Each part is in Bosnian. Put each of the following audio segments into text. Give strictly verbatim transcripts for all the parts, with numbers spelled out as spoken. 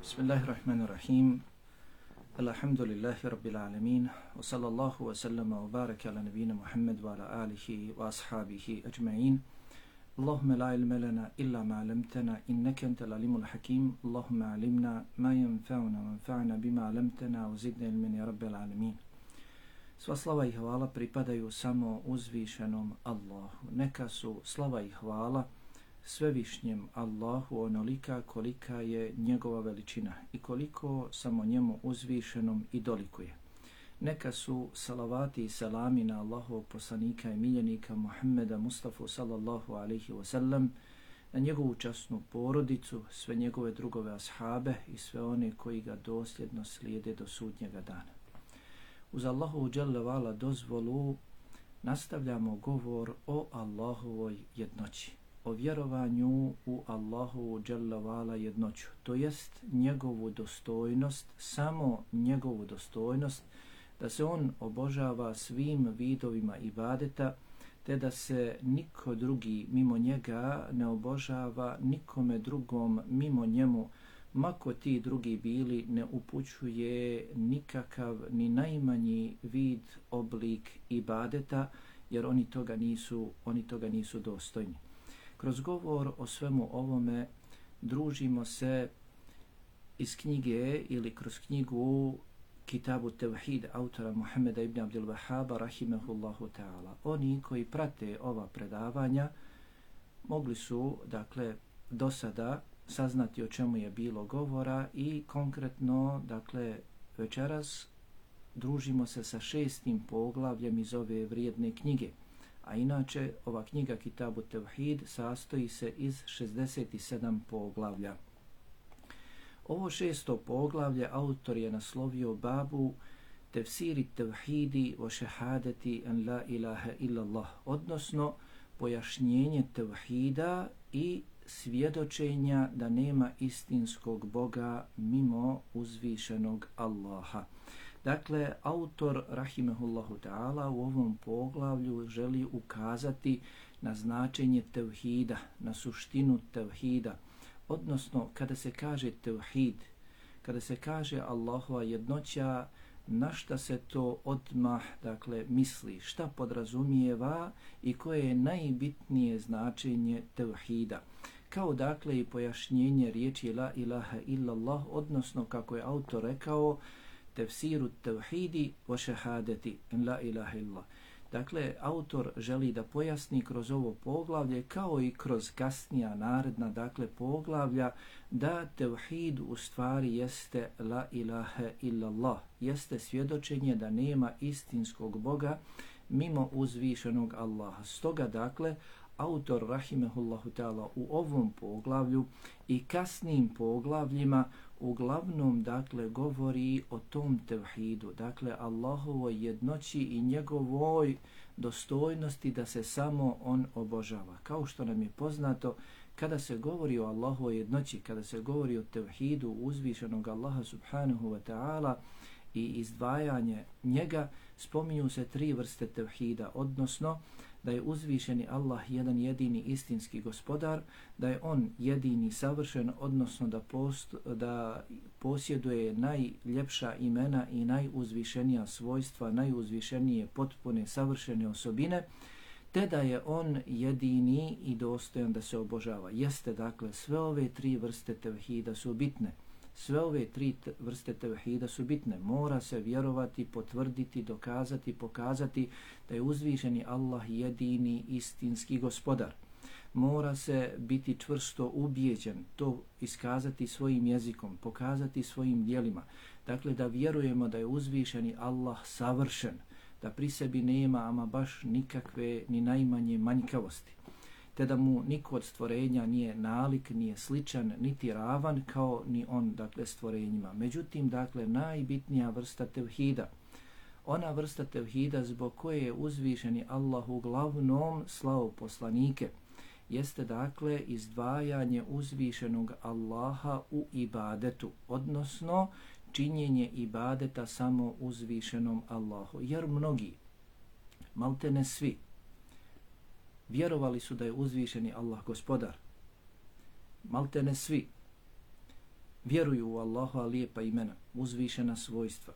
Bismillahirrahmanirrahim. Alhamdulillahi rabbil alamin. Wa sallallahu wa sallama wa baraka ala nabina Muhammad wa ala alihi wa ashabihi ajma'in. Allahumma la ilma lana illa ma 'allamtana innaka antal alimul hakim. Allahumma 'allimna ma yanfa'una wanfa'na bima 'allamtana wa zidna ilman ya rabbil alamin. Sva slava i hvala pripadaju samo uzvišenom Allahu. Neka su slava i hvala svevišnjem Allahu onolika kolika je njegova veličina i koliko samo njemu uzvišenom i dolikuje. Neka su salavati i salami na Allahovog poslanika i miljenika Muhammeda Mustafa sallallahu alaihi wa sallam, na njegovu časnu porodicu, sve njegove drugove ashabe i sve one koji ga dosljedno slijede do sudnjega dana. Uz Allahovu dželle vala dozvolu nastavljamo govor o Allahovoj jednoći, o vjerovanju u Allahovu dželle vala jednoću, to jest njegovu dostojnost, samo njegovu dostojnost, da se on obožava svim vidovima ibadeta, te da se niko drugi mimo njega ne obožava nikome drugom mimo njemu, mako ti drugi bili, ne upućuje nikakav ni najmanji vid, oblik ibadeta, jer oni toga nisu, oni toga nisu dostojni. Kroz govor o svemu ovome družimo se iz knjige ili kroz knjigu Kitabu Tevhid autora Muhammeda ibn Abdul Wahhaba rahimehullahu ta'ala. Oni koji prate ova predavanja mogli su, dakle, do sada saznati o čemu je bilo govora i konkretno, dakle, večeras družimo se sa šestim poglavljem iz ove vrijedne knjige. A inače, ova knjiga Kitabu Tevhid sastoji se iz šezdeset sedam poglavlja. Ovo šesto poglavlje autor je naslovio babu Tefsiri Tevhidi o šehadeti en la ilaha illallah, odnosno pojašnjenje tevhida i svjedočenja da nema istinskog Boga mimo uzvišenog Allaha. Dakle, autor rahimehullahu ta'ala u ovom poglavlju želi ukazati na značenje tevhida, na suštinu tevhida, odnosno kada se kaže tevhid, kada se kaže Allahova jednoća, na šta se to odmah, dakle, misli, šta podrazumijeva i koje je najbitnije značenje tevhida. Kao dakle i pojašnjenje riječi la ilaha illallah, odnosno kako je autor rekao, tefsiru tevhidi wa šehadeti en la ilaha illallah. Dakle, autor želi da pojasni kroz ovo poglavlje kao i kroz kasnija naredna, dakle, poglavlja, da tevhid u stvari jeste la ilaha illallah, jeste svjedočenje da nema istinskog Boga mimo uzvišenog Allaha. Stoga, dakle, autor rahimehullahu ta'ala u ovom poglavlju i kasnijim poglavljima uglavnom, dakle, govori o tom tevhidu, dakle, Allahovoj jednoći i njegovoj dostojnosti da se samo on obožava. Kao što nam je poznato, kada se govori o Allahovoj jednoći, kada se govori o tevhidu uzvišenog Allaha subhanahu wa ta'ala i izdvajanje njega, spominju se tri vrste tevhida, odnosno da je uzvišeni Allah jedan jedini istinski gospodar, da je on jedini savršen, odnosno da, post, da posjeduje najljepša imena i najuzvišenija svojstva, najuzvišenije potpune savršene osobine, te da je on jedini i dostojan da se obožava. Jeste, dakle, sve ove tri vrste tevhida su bitne. Sve ove tri vrste tevhida su bitne. Mora se vjerovati, potvrditi, dokazati, pokazati da je uzvišeni Allah jedini istinski gospodar. Mora se biti čvrsto ubijeđen, to iskazati svojim jezikom, pokazati svojim djelima. Dakle, da vjerujemo da je uzvišeni Allah savršen, da pri sebi nema ama baš nikakve ni najmanje manjkavosti, te da mu niko od stvorenja nije nalik, nije sličan, niti ravan kao ni on, dakle, stvorenjima. Međutim, dakle, najbitnija vrsta tevhida, ona vrsta tevhida zbog koje je uzvišeni Allah uglavnom slao poslanike, jeste, dakle, izdvajanje uzvišenog Allaha u ibadetu, odnosno činjenje ibadeta samo uzvišenom Allahu. Jer mnogi, maltene svi, vjerovali su da je uzvišeni Allah gospodar. Maltene svi vjeruju u Allahova lijepa imena, uzvišena svojstva,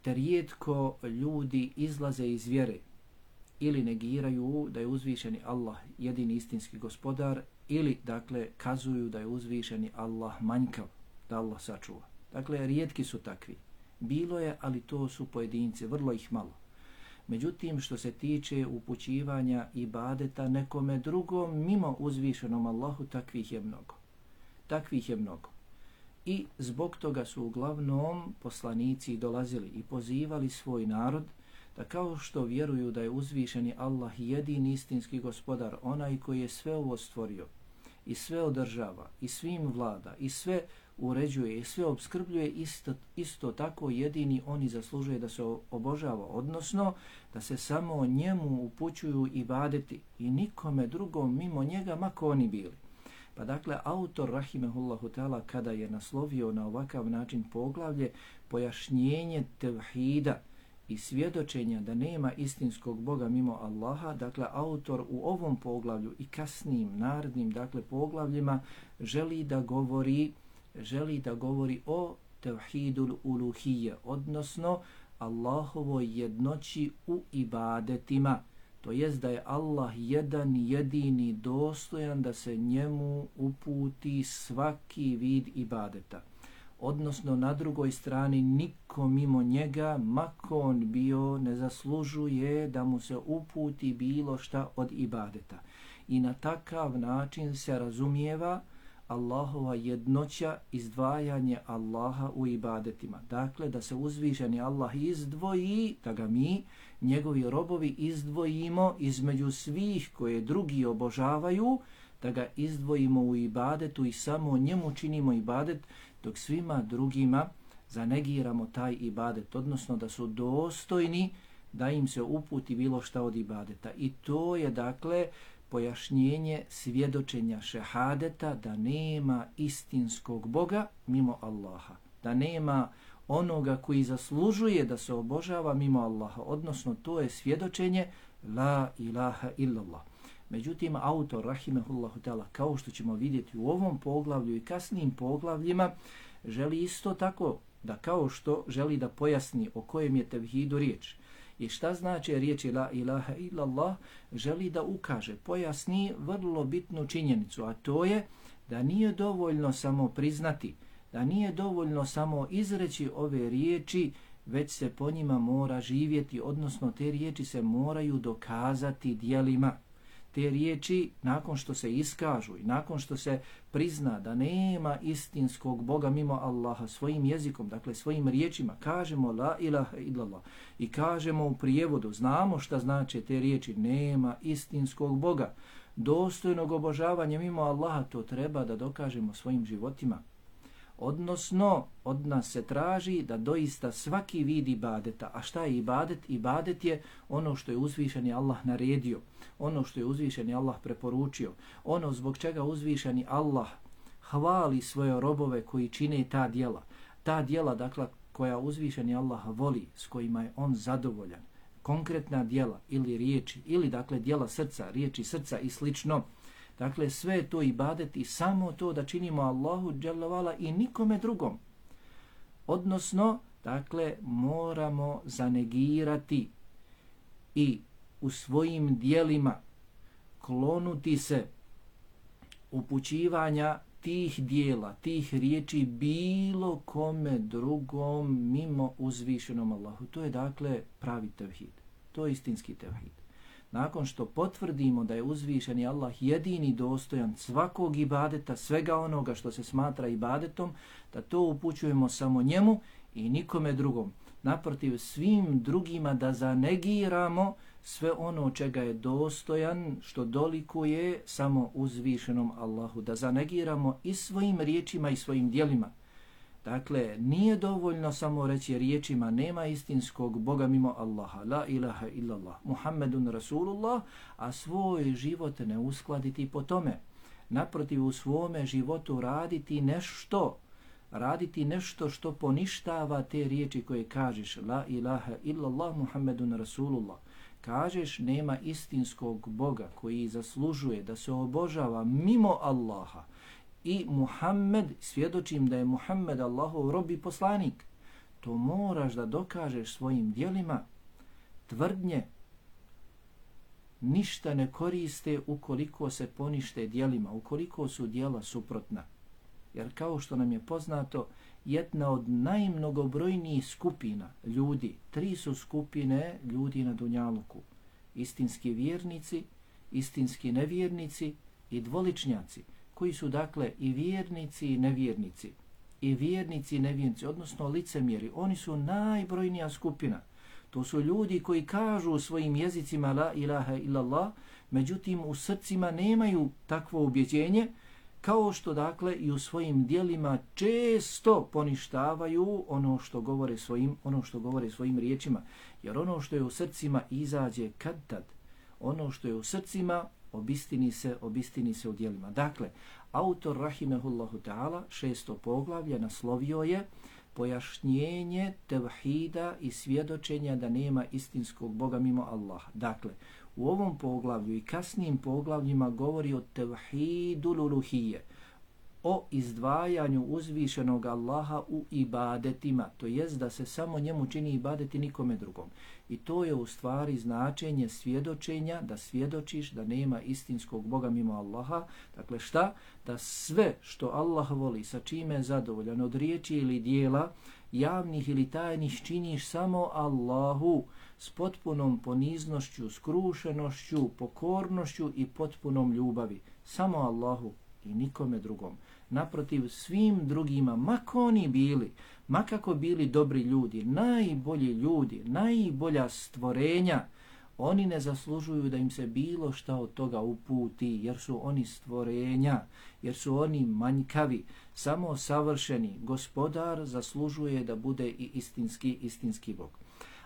te rijetko ljudi izlaze iz vjere ili negiraju da je uzvišeni Allah jedini istinski gospodar ili dakle kazuju da je uzvišeni Allah manjkav, da Allah sačuva. Dakle, rijetki su takvi. Bilo je, ali to su pojedinci, vrlo ih malo. Međutim, što se tiče upućivanja ibadeta nekome drugom mimo uzvišenom Allahu, takvih je mnogo. Takvih je mnogo. I zbog toga su uglavnom poslanici dolazili i pozivali svoj narod da kao što vjeruju da je uzvišeni Allah jedini istinski gospodar, onaj koji je sve ovo stvorio i sve održava i svim vlada i sve uređuje i sve obskrbljuje, isto, isto tako jedini oni zaslužuje da se obožava, odnosno da se samo njemu upućuju ibadeti i nikome drugom mimo njega, mako oni bili. Pa dakle, autor rahimehullahu ta'ala kada je naslovio na ovakav način poglavlje pojašnjenje tevhida i svjedočenja da nema istinskog Boga mimo Allaha, dakle autor u ovom poglavlju i kasnijim narednim dakle poglavljima želi da govori želi da govori o tevhidul uluhije, odnosno Allahovoj jednoći u ibadetima. To jest da je Allah jedan jedini dostojan da se njemu uputi svaki vid ibadeta. Odnosno na drugoj strani niko mimo njega, mako on bio, ne zaslužuje da mu se uputi bilo šta od ibadeta. I na takav način se razumijeva Allahova jednoća, izdvajanje Allaha u ibadetima. Dakle, da se uzvišeni Allah izdvoji, da ga mi, njegovi robovi, izdvojimo između svih koje drugi obožavaju, da ga izdvojimo u ibadetu i samo njemu činimo ibadet, dok svima drugima zanegiramo taj ibadet, odnosno da su dostojni da im se uputi bilo šta od ibadeta. I to je dakle pojašnjenje svjedočenja šehadeta da nema istinskog Boga mimo Allaha, da nema onoga koji zaslužuje da se obožava mimo Allaha, odnosno to je svjedočenje la ilaha illallah. Međutim, autor rahimehullahu ta'ala, kao što ćemo vidjeti u ovom poglavlju i kasnijim poglavljima, želi isto tako da kao što želi da pojasni o kojem je tevhidu riječ i šta znači riječi la ilaha illallah, želi da ukaže, pojasni vrlo bitnu činjenicu, a to je da nije dovoljno samo priznati, da nije dovoljno samo izreći ove riječi, već se po njima mora živjeti, odnosno te riječi se moraju dokazati djelima. Te riječi, nakon što se iskažu i nakon što se prizna da nema istinskog Boga mimo Allaha svojim jezikom, dakle svojim riječima, kažemo la ilaha illallah i kažemo u prijevodu, znamo šta znači te riječi, nema istinskog Boga, dostojnog obožavanja mimo Allaha, to treba da dokažemo svojim životima. Odnosno, od nas se traži da doista svaki vid ibadeta, a šta je ibadet? Ibadet je ono što je uzvišeni Allah naredio, ono što je uzvišeni Allah preporučio, ono zbog čega uzvišeni Allah hvali svoje robove koji čine ta djela. Ta djela, dakle, koja uzvišeni Allah voli, s kojima je on zadovoljan, konkretna djela ili riječi, ili dakle djela srca, riječi srca i slično. Dakle, sve to ibadet i samo to da činimo Allahu dželle vala i nikome drugom. Odnosno, dakle, moramo zanegirati i u svojim dijelima klonuti se upućivanja tih dijela, tih riječi bilo kome drugom mimo uzvišenom Allahu. To je dakle pravi tevhid. To je istinski tevhid. Nakon što potvrdimo da je uzvišeni Allah jedini dostojan svakog ibadeta, svega onoga što se smatra ibadetom, da to upućujemo samo njemu i nikome drugom. Naprotiv, svim drugima da zanegiramo sve ono čega je dostojan, što dolikuje samo uzvišenom Allahu. Da zanegiramo i svojim riječima i svojim djelima. Dakle, nije dovoljno samo reći riječima nema istinskog Boga mimo Allaha, la ilaha illallah, Muhammedun Rasulullah, a svoj život ne uskladiti po tome. Naprotiv, u svome životu raditi nešto, raditi nešto što poništava te riječi koje kažeš, la ilaha illallah, Muhammedun Rasulullah. Kažeš nema istinskog Boga koji zaslužuje da se obožava mimo Allaha, i Muhammed, svjedočim da je Muhammed Allahov rob i poslanik. To moraš da dokažeš svojim djelima. Tvrdnje ništa ne koriste ukoliko se ponište djelima, ukoliko su djela suprotna. Jer kao što nam je poznato, jedna od najmnogobrojnijih skupina ljudi, tri su skupine ljudi na dunjaluku. Istinski vjernici, istinski nevjernici i dvoličnjaci, koji su dakle i vjernici i nevjernici. I vjernici i nevjernici, odnosno licemjeri, oni su najbrojnija skupina. To su ljudi koji kažu u svojim jezicima la ilaha illallah, međutim u srcima nemaju takvo ubjeđenje, kao što dakle i u svojim djelima često poništavaju ono što govore svojim, ono što govore svojim riječima. Jer ono što je u srcima izađe kad tad. Ono što je u srcima obistini se, obistini se u djelima. Dakle, autor rahimehullahu ta'ala šesto poglavlje naslovio je pojašnjenje tevhida i svjedočenja da nema istinskog Boga mimo Allaha. Dakle, u ovom poglavlju i kasnijim poglavljima govori o tevhidu luluhije, o izdvajanju uzvišenog Allaha u ibadetima, to jest da se samo njemu čini ibadeti nikome drugom. I to je u stvari značenje svjedočenja, da svjedočiš da nema istinskog Boga mimo Allaha. Dakle šta? Da sve što Allah voli, sa čime je zadovoljan od riječi ili dijela, javnih ili tajnih, činiš samo Allahu s potpunom poniznošću, skrušenošću, pokornošću i potpunom ljubavi. Samo Allahu i nikome drugom. Naprotiv, svim drugima, mako oni bili, makako bili dobri ljudi, najbolji ljudi, najbolja stvorenja, oni ne zaslužuju da im se bilo šta od toga uputi, jer su oni stvorenja, jer su oni manjkavi, samo savršeni. Gospodar zaslužuje da bude i istinski, istinski Bog.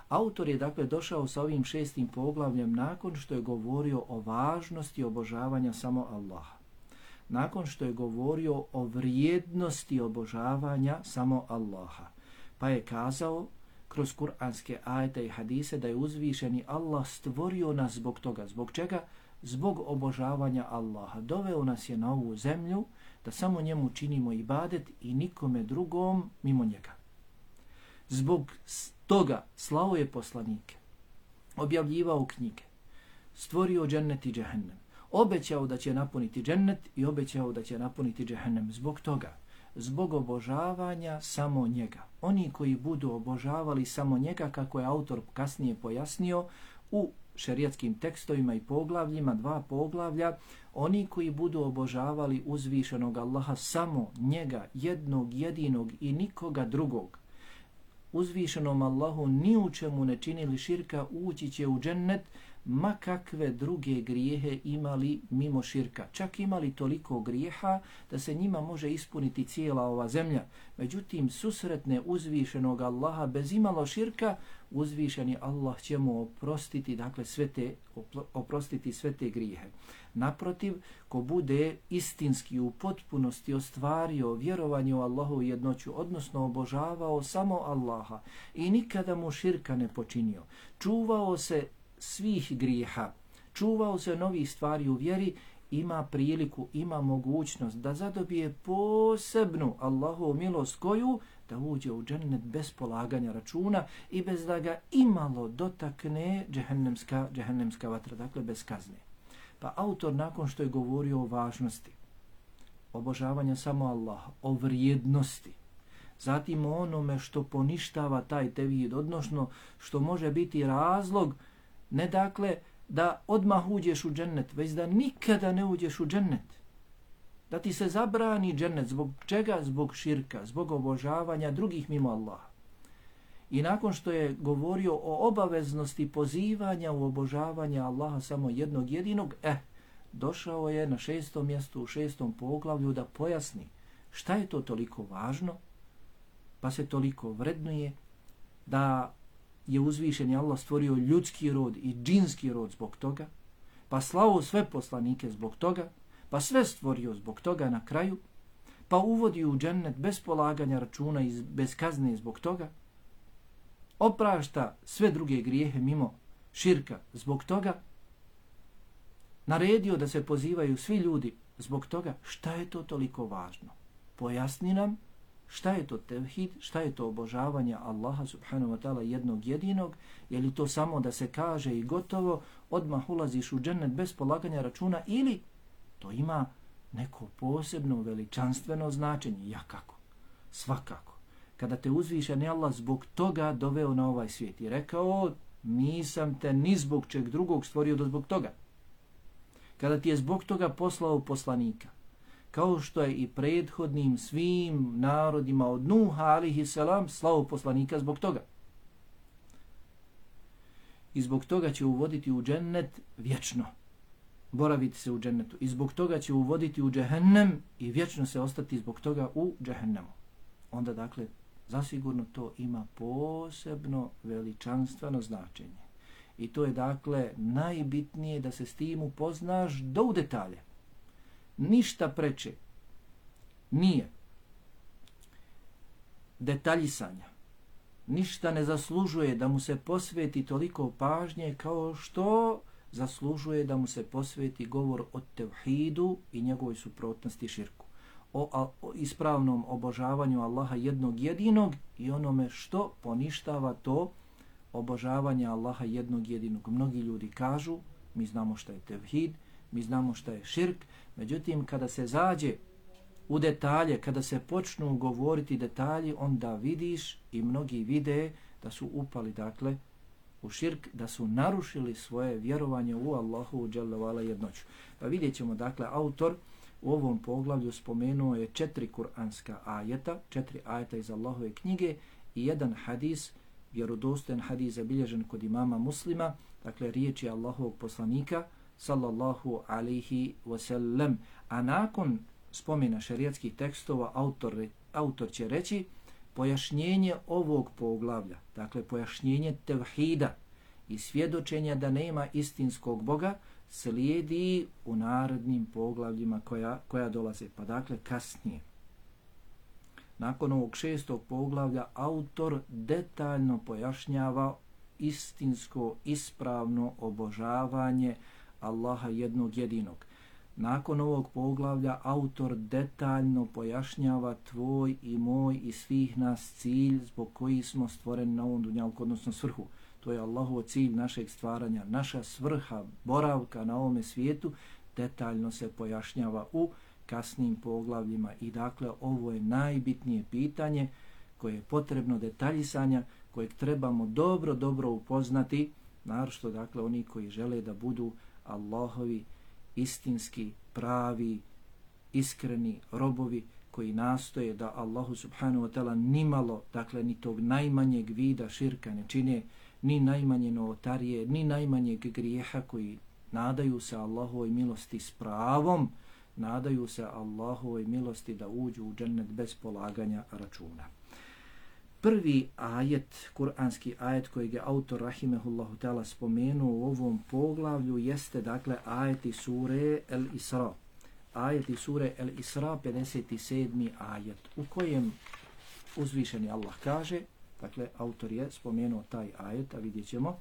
Autor je dakle došao sa ovim šestim poglavljem nakon što je govorio o važnosti obožavanja samo Allaha. Nakon što je govorio o vrijednosti obožavanja samo Allaha. Pa je kazao kroz kuranske ajete i hadise da je uzvišeni Allah stvorio nas zbog toga. Zbog čega? Zbog obožavanja Allaha. Doveo nas je na ovu zemlju da samo njemu činimo ibadet i nikome drugom mimo njega. Zbog toga slao je poslanike, objavljivao knjige, stvorio džennet i džehennem, obećao da će napuniti džennet i obećao da će napuniti džehennem. Zbog toga, zbog obožavanja samo njega. Oni koji budu obožavali samo njega, kako je autor kasnije pojasnio u šerijatskim tekstovima i poglavljima, dva poglavlja, oni koji budu obožavali uzvišenog Allaha samo njega, jednog, jedinog i nikoga drugog, uzvišenom Allahu ni u čemu ne činili širka, ući će u džennet, ma kakve druge grijehe imali mimo širka. Čak imali toliko grijeha da se njima može ispuniti cijela ova zemlja. Međutim, susretne uzvišenog Allaha bez imalo širka, uzvišeni Allah će mu oprostiti, dakle sve te, oprostiti sve te grijehe. Naprotiv, ko bude istinski u potpunosti ostvario vjerovanje u Allahu jednoću, odnosno obožavao samo Allaha i nikada mu širka ne počinio, čuvao se svih grijeha, čuvao se novih stvari u vjeri, ima priliku, ima mogućnost da zadobije posebnu Allahovu milost koju da uđe u džennet bez polaganja računa i bez da ga imalo dotakne džehennemska, džehennemska vatra, dakle bez kazne. Pa autor nakon što je govorio o važnosti obožavanja samo Allaha, o vrijednosti, zatim o onome što poništava taj tevhid, odnosno što može biti razlog ne dakle da odmah uđeš u džennet, već da nikada ne uđeš u džennet. Da ti se zabrani džennet. Zbog čega? Zbog širka, zbog obožavanja drugih mimo Allaha. I nakon što je govorio o obaveznosti pozivanja u obožavanje Allaha samo jednog jedinog, eh, došao je na šestom mjestu, u šestom poglavlju da pojasni šta je to toliko važno, pa se toliko vrednuje, da je uzvišeni Allah stvorio ljudski rod i džinski rod zbog toga, pa slao sve poslanike zbog toga, pa sve stvorio zbog toga na kraju, pa uvodi u džennet bez polaganja računa i bez kazne zbog toga, oprašta sve druge grijehe mimo širka zbog toga, naredio da se pozivaju svi ljudi zbog toga šta je to toliko važno. Pojasni nam šta je to tevhid, šta je to obožavanje Allaha subhanahu wa ta'ala jednog jedinog, je li to samo da se kaže i gotovo, odmah ulaziš u džennet bez polaganja računa, ili to ima neko posebno veličanstveno značenje. Ja kako? Svakako. Kada te uzvišeni Allah zbog toga doveo na ovaj svijet i rekao, nisam te ni zbog čeg drugog stvorio do zbog toga. Kada ti je zbog toga poslao poslanika, kao što je i prethodnim svim narodima od Nuha alihi salam slao poslanika zbog toga. I zbog toga će uvoditi u džennet vječno. Boraviti se u džennetu. I zbog toga će uvoditi u džehennem i vječno se ostati zbog toga u džehennemu. Onda dakle, zasigurno to ima posebno veličanstveno značenje. I to je dakle najbitnije da se s tim upoznaš do u detalje. Ništa preče nije detaljisanja. Ništa ne zaslužuje da mu se posveti toliko pažnje kao što zaslužuje da mu se posveti govor o tevhidu i njegovoj suprotnosti širku. O, a, o ispravnom obožavanju Allaha jednog jedinog i onome što poništava to obožavanje Allaha jednog jedinog. Mnogi ljudi kažu, mi znamo šta je tevhid, mi znamo šta je širk, međutim kada se zađe u detalje, kada se počnu govoriti detalji, onda vidiš i mnogi vide da su upali dakle u širk, da su narušili svoje vjerovanje u Allahu dželle ve ala jednoću. Pa vidjet ćemo dakle, autor u ovom poglavlju spomenuo je četiri kuranska ajeta, četiri ajeta iz Allahove knjige i jedan hadis, vjerodostojan hadis zabilježen kod imama Muslima, dakle riječi Allahovog poslanika sallallahu alaihi wasallam. A nakon spomena šerijatskih tekstova autor, autor će reći pojašnjenje ovog poglavlja, dakle pojašnjenje tevhida i svjedočenja da nema istinskog Boga slijedi u narednim poglavljima koja, koja dolaze, pa dakle kasnije. Nakon ovog šestog poglavlja autor detaljno pojašnjava istinsko, ispravno obožavanje Allaha jednog jedinog. Nakon ovog poglavlja autor detaljno pojašnjava tvoj i moj i svih nas cilj zbog koji smo stvoreni na ovom dunjalku, odnosno svrhu. To je Allahov cilj našeg stvaranja, naša svrha, boravka na ovome svijetu, detaljno se pojašnjava u kasnim poglavljima. I dakle, ovo je najbitnije pitanje koje je potrebno detaljisanja, kojeg trebamo dobro, dobro upoznati, naročito dakle oni koji žele da budu Allahovi istinski, pravi, iskreni robovi koji nastoje da Allahu subhanahu wa ta'ala nimalo, dakle ni tog najmanjeg vida širka ne čine, ni najmanje novotarije, ni najmanjeg grijeha, koji nadaju se Allahovoj milosti s pravom, nadaju se Allahovoj milosti da uđu u džennet bez polaganja računa. Prvi ajet, kuranski ajet kojeg je autor rahimehullahu ta'ala spomenuo u ovom poglavlju jeste dakle ajeti sure El Isra. Ajeti sure El Isra, pedeset sedmi ajet, u kojem uzvišeni Allah kaže, dakle autor je spomenuo taj ajet, a vidjet ćemo,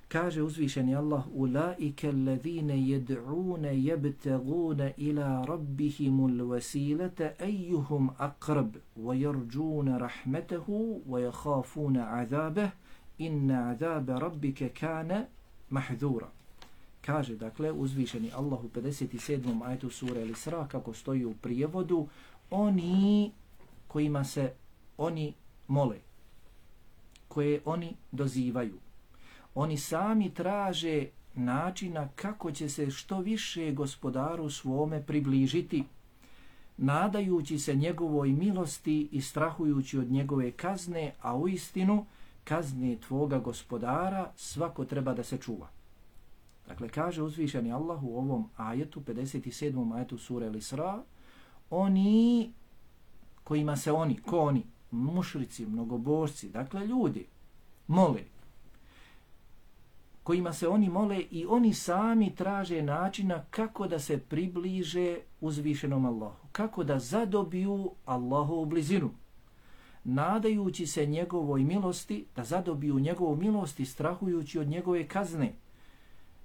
kaže uzvišeni Allah: ulaike allazine yed'une yebtagune ila rabbihimul wasilata ayyuhum aqrab wa yarjuna rahmatahu wa yakhafuna azabah inna azaba rabbika kana mahdhura. Kaže dakle uzvišeni Allah u pedeset sedmom ajetu sure Al-Isra, kako stoji u prijevodu, oni kojima se oni mole, koje oni dozivaju, oni sami traže načina kako će se što više gospodaru svome približiti, nadajući se njegovoj milosti i strahujući od njegove kazne, a u istinu kazne tvoga gospodara svako treba da se čuva. Dakle, kaže uzvišeni Allah u ovom ajetu, pedeset sedmom ajetu sure Al-Isra, oni kojima se oni, ko oni, mušrici, mnogobožci, dakle ljudi, mole, kojima se oni mole i oni sami traže načina kako da se približe uzvišenom Allahu, kako da zadobiju Allahovu blizinu, nadajući se njegovoj milosti, da zadobiju njegovu milost i strahujući od njegove kazne,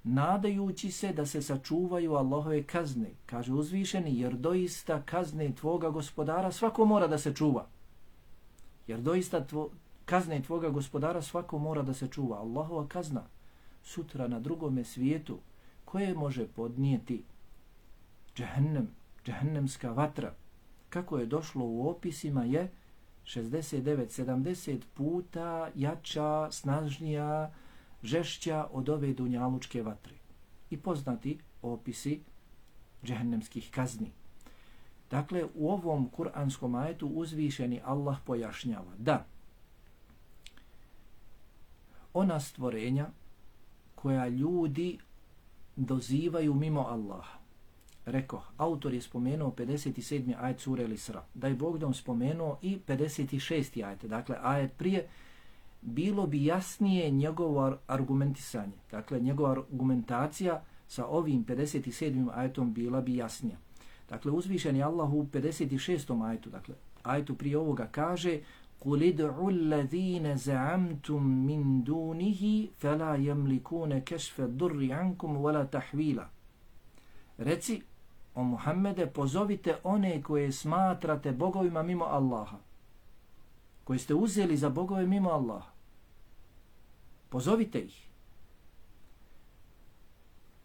nadajući se da se sačuvaju Allahove kazne. Kaže uzvišeni, jer doista kazne tvoga gospodara svako mora da se čuva. Jer doista tvo, kazne tvoga gospodara svako mora da se čuva. Allahova kazna sutra na drugome svijetu koje može podnijeti džehennem, džehennemska vatra, kako je došlo u opisima, je šezdeset devet sedamdeset puta jača, snažnija, žešća od ove dunjalučke vatre. I poznati opisi džehennemskih kazni. Dakle, u ovom kuranskom ajetu uzvišeni Allah pojašnjava da ona stvorenja koja ljudi dozivaju mimo Allaha. Reko, autor je spomenuo pedeset sedmi ajet sure Al-Isra. Da je Bog da on spomenuo i pedeset šesti ajet. Dakle, ajet prije, bilo bi jasnije njegovo argumentisanje. Dakle, njegova argumentacija sa ovim pedeset sedmim ajetom bila bi jasnija. Dakle, uzvišen je Allah u pedeset šestom ajetu. Dakle, ajetu prije ovoga kaže قُلِ ادْعُوا الَّذِينَ زَعَمْتُمْ مِنْ دُونِهِ فَلَا يَمْلِكُونَ كَشْفَ الضُّرِّ عَنْكُمْ وَلَا تَحْوِيلًا. Reci, o Muhammede, pozovite one koje smatrate bogovima mimo Allaha, koje ste uzeli za bogove mimo Allaha. Pozovite ih.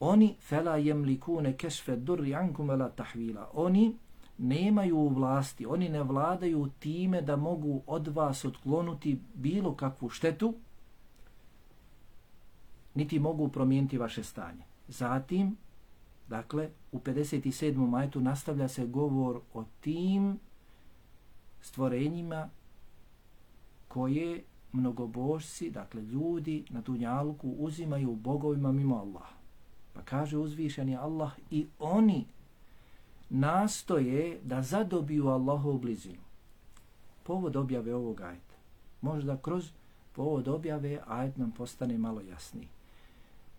Oni فَلَا يَمْلِكُونَ كَشْفَ الضُّرِّ عَنْكُمْ وَلَا تَحْوِيلًا. Oni nemaju vlasti, oni ne vladaju time da mogu od vas otklonuti bilo kakvu štetu, niti mogu promijeniti vaše stanje. Zatim, dakle, u pedeset sedmom ajetu nastavlja se govor o tim stvorenjima koje mnogobožci, dakle ljudi na dunjaluku uzimaju bogovima mimo Allaha. Pa kaže uzvišeni Allah, i oni nastoje da zadobiju Allahovu blizinu. Povod objave ovog ajeta. Možda kroz povod objave ajet nam postane malo jasniji.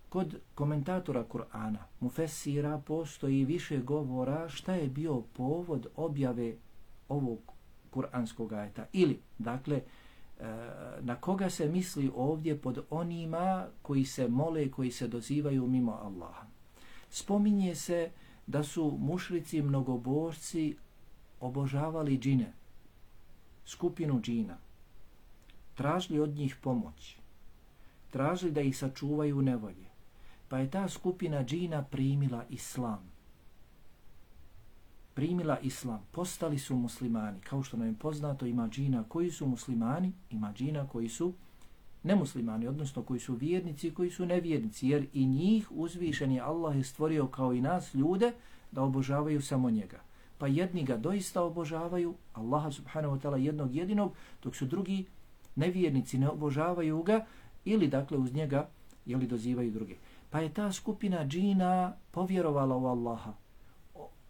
Kod komentatora Kur'ana, mufesira, postoji više govora šta je bio povod objave ovog kur'anskog ajeta. Ili, dakle, na koga se misli ovdje pod onima koji se mole, koji se dozivaju mimo Allaha. Spominje se da su mušrici mnogobožci obožavali džine, skupinu džina, tražili od njih pomoć, tražili da ih sačuvaju nevolje, pa je ta skupina džina primila islam. Primila islam, postali su muslimani. Kao što nam je poznato, ima džina koji su muslimani, ima džina koji su nemuslimani, odnosno koji su vjernici i koji su nevjernici, jer i njih uzvišeni Allah je stvorio kao i nas ljude da obožavaju samo njega. Pa jedni ga doista obožavaju, Allaha subhanahu wa ta'ala jednog jedinog, dok su drugi nevjernici ne obožavaju ga ili dakle uz njega jeli dozivaju druge. Pa je ta skupina džina povjerovala u Allaha,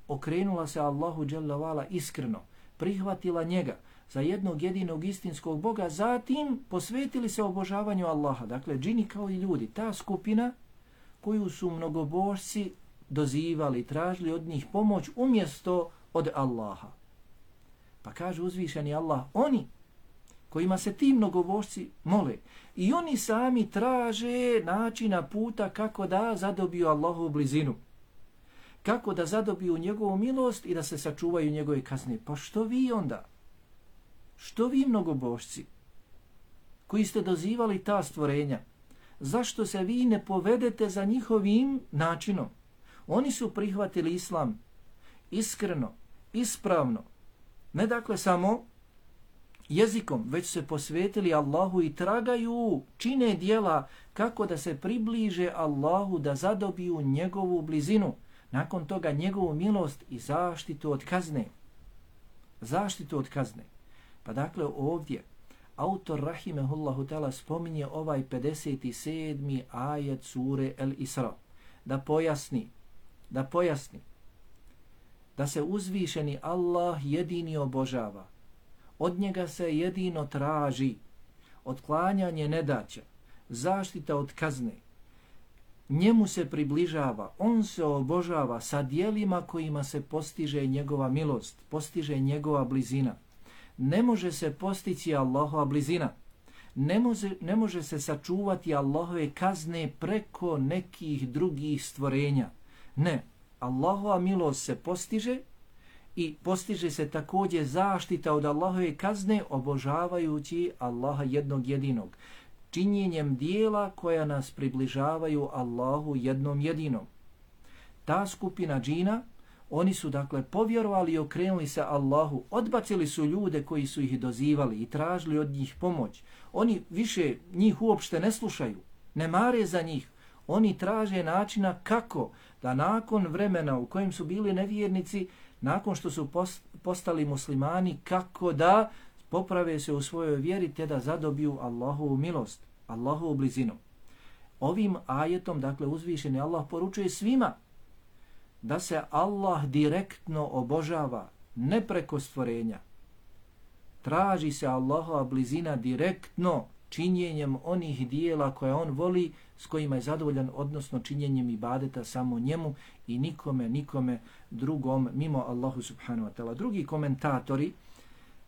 okrenula se Allahu dželle vala iskreno, prihvatila njega za jednog jedinog istinskog Boga, zatim posvetili se obožavanju Allaha. Dakle, džini kao i ljudi, ta skupina koju su mnogobožci dozivali, tražili od njih pomoć umjesto od Allaha. Pa kaže uzvišeni Allah, oni kojima se ti mnogobožci mole i oni sami traže načina puta kako da zadobiju Allahovu blizinu, kako da zadobiju njegovu milost i da se sačuvaju njegove kazne. Pa što vi onda? Što vi mnogobožci koji ste dozivali ta stvorenja? Zašto se vi ne povedete za njihovim načinom? Oni su prihvatili islam iskreno, ispravno. Ne dakle samo jezikom, već se posvetili Allahu i tragaju, čine dijela kako da se približe Allahu, da zadobiju njegovu blizinu. Nakon toga njegovu milost i zaštitu od kazne. Zaštitu od kazne. Pa dakle ovdje autor rahimehullahu ta'ala spominje ovaj pedeset sedmi ajet sure Al-Isra. Da pojasni, da pojasni da se uzvišeni Allah jedini obožava. Od njega se jedino traži otklanjanje nedaća, zaštita od kazne. Njemu se približava, on se obožava sa dijelima kojima se postiže njegova milost, postiže njegova blizina. Ne može se postići Allahova blizina, ne može, ne može se sačuvati Allahove kazne preko nekih drugih stvorenja. Ne, Allahova milost se postiže i postiže se također zaštita od Allahove kazne obožavajući Allaha jednog jedinog, činjenjem dijela koja nas približavaju Allahu jednom jedinom. Ta skupina džina, oni su dakle povjerovali i okrenuli se Allahu, odbacili su ljude koji su ih dozivali i tražili od njih pomoć. Oni više njih uopšte ne slušaju, ne mare za njih. Oni traže načina kako da nakon vremena u kojem su bili nevjernici, nakon što su postali muslimani, kako da poprave se u svojoj vjeri te da zadobiju Allahovu milost, Allahovu blizinu. Ovim ajetom, dakle, uzvišeni Allah poručuje svima da se Allah direktno obožava, ne preko stvorenja. Traži se Allahova blizina direktno činjenjem onih dijela koje on voli, s kojima je zadovoljan, odnosno činjenjem ibadeta samo njemu i nikome, nikome drugom mimo Allahu subhanahu wa ta'ala. Drugi komentatori,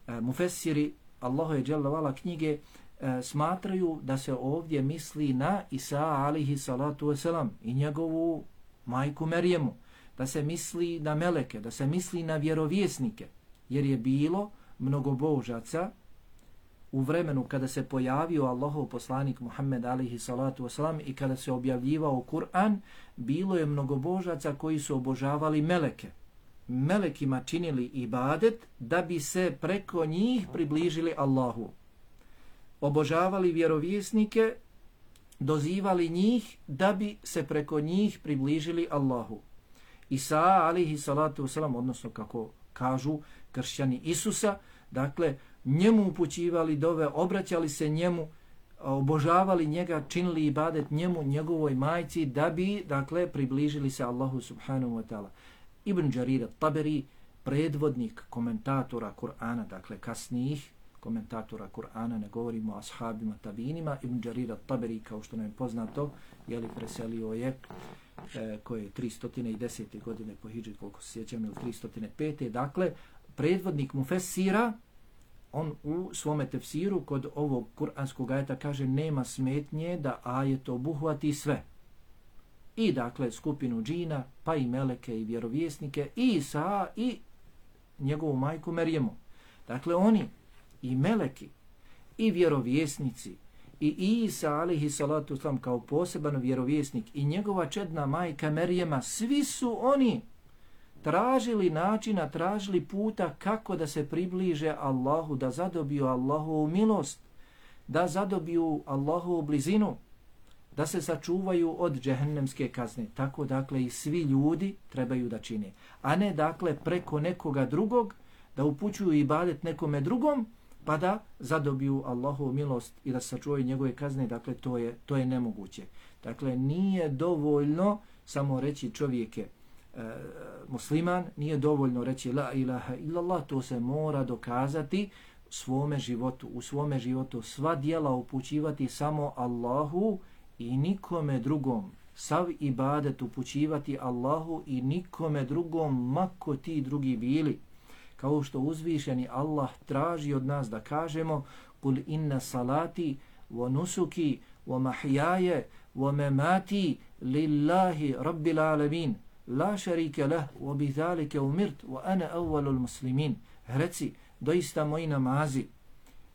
e, mufessiri Allahove dželle vala knjige, e, smatraju da se ovdje misli na Isa alihi salatu wasalam i njegovu majku Merijemu, da se misli na meleke, da se misli na vjerovjesnike, jer je bilo mnogobožaca u vremenu kada se pojavio Allahov poslanik Muhammed alihi salatu wasalam i kada se objavljivao Kur'an, bilo je mnogobožaca koji su obožavali meleke. Melekima činili ibadet da bi se preko njih približili Allahu. Obožavali vjerovjesnike, dozivali njih da bi se preko njih približili Allahu. Isa alihi salatu wasalam, odnosno kako kažu kršćani Isusa, dakle, njemu upućivali dove, obraćali se njemu, obožavali njega, činili ibadet njemu, njegovoj majci, da bi, dakle, približili se Allahu subhanahu wa ta'ala. Ibn Đarir at-Taberi, predvodnik komentatora Kur'ana, dakle, kasnijih komentatora Kur'ana, ne govorimo o ashabima tabinima, Ibn Đarir at-Taberi, kao što nam je poznato, jeli preselio je e, koje je tristo desete godine po hidži, koliko se sjećam, ili tristo pete. Dakle, predvodnik mufessira, on u svome tefsiru kod ovog kuranskog ajeta kaže nema smetnje da ajet obuhvati sve. I dakle skupinu džina, pa i meleke i vjerovjesnike, i Isa i njegovu majku Merijemu. Dakle oni i meleki i vjerovjesnici i Isa alihi salatu wasalam kao poseban vjerovjesnik i njegova čedna majka Merijema, svi su oni tražili načina, tražili puta kako da se približe Allahu, da zadobiju Allahovu milost, da zadobiju Allahovu blizinu, da se sačuvaju od džehennemske kazne. Tako dakle i svi ljudi trebaju da čine. A ne dakle preko nekoga drugog, da upućuju ibadet nekome drugom, pa da zadobiju Allahovu milost i da se sačuvaju njegove kazne. Dakle to je, to je nemoguće. Dakle nije dovoljno samo reći čovjeke, E, musliman, nije dovoljno reći la ilaha illallah, to se mora dokazati u svome životu, u svome životu sva djela upućivati samo Allahu i nikome drugom, sav ibadet upućivati Allahu i nikome drugom, mako ti drugi bili. Kao što uzvišeni Allah traži od nas da kažemo kul inna salati wa nusuki wa mahjaje wa memati lillahi rabbil alamin la šarike lah, wa bi zalike umirt, wa ana awwalul muslimin. Reci, doista moji namazi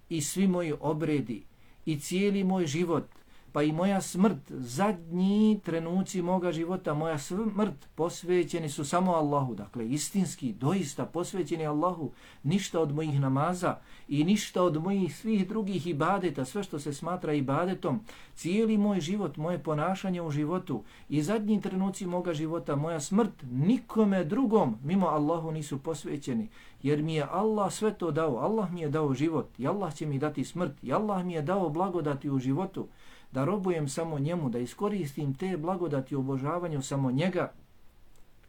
i svi moji obredi i cijeli moj život, pa i moja smrt, zadnji trenuci moga života, moja smrt posvećeni su samo Allahu. Dakle, istinski, doista posvećeni Allahu, ništa od mojih namaza i ništa od mojih svih drugih ibadeta, sve što se smatra ibadetom, cijeli moj život, moje ponašanje u životu i zadnji trenuci moga života, moja smrt, nikome drugom mimo Allahu nisu posvećeni, jer mi je Allah sve to dao. Allah mi je dao život i Allah će mi dati smrt i Allah mi je dao blagodati u životu, da robujem samo njemu, da iskoristim te blagodati u obožavanju samo njega.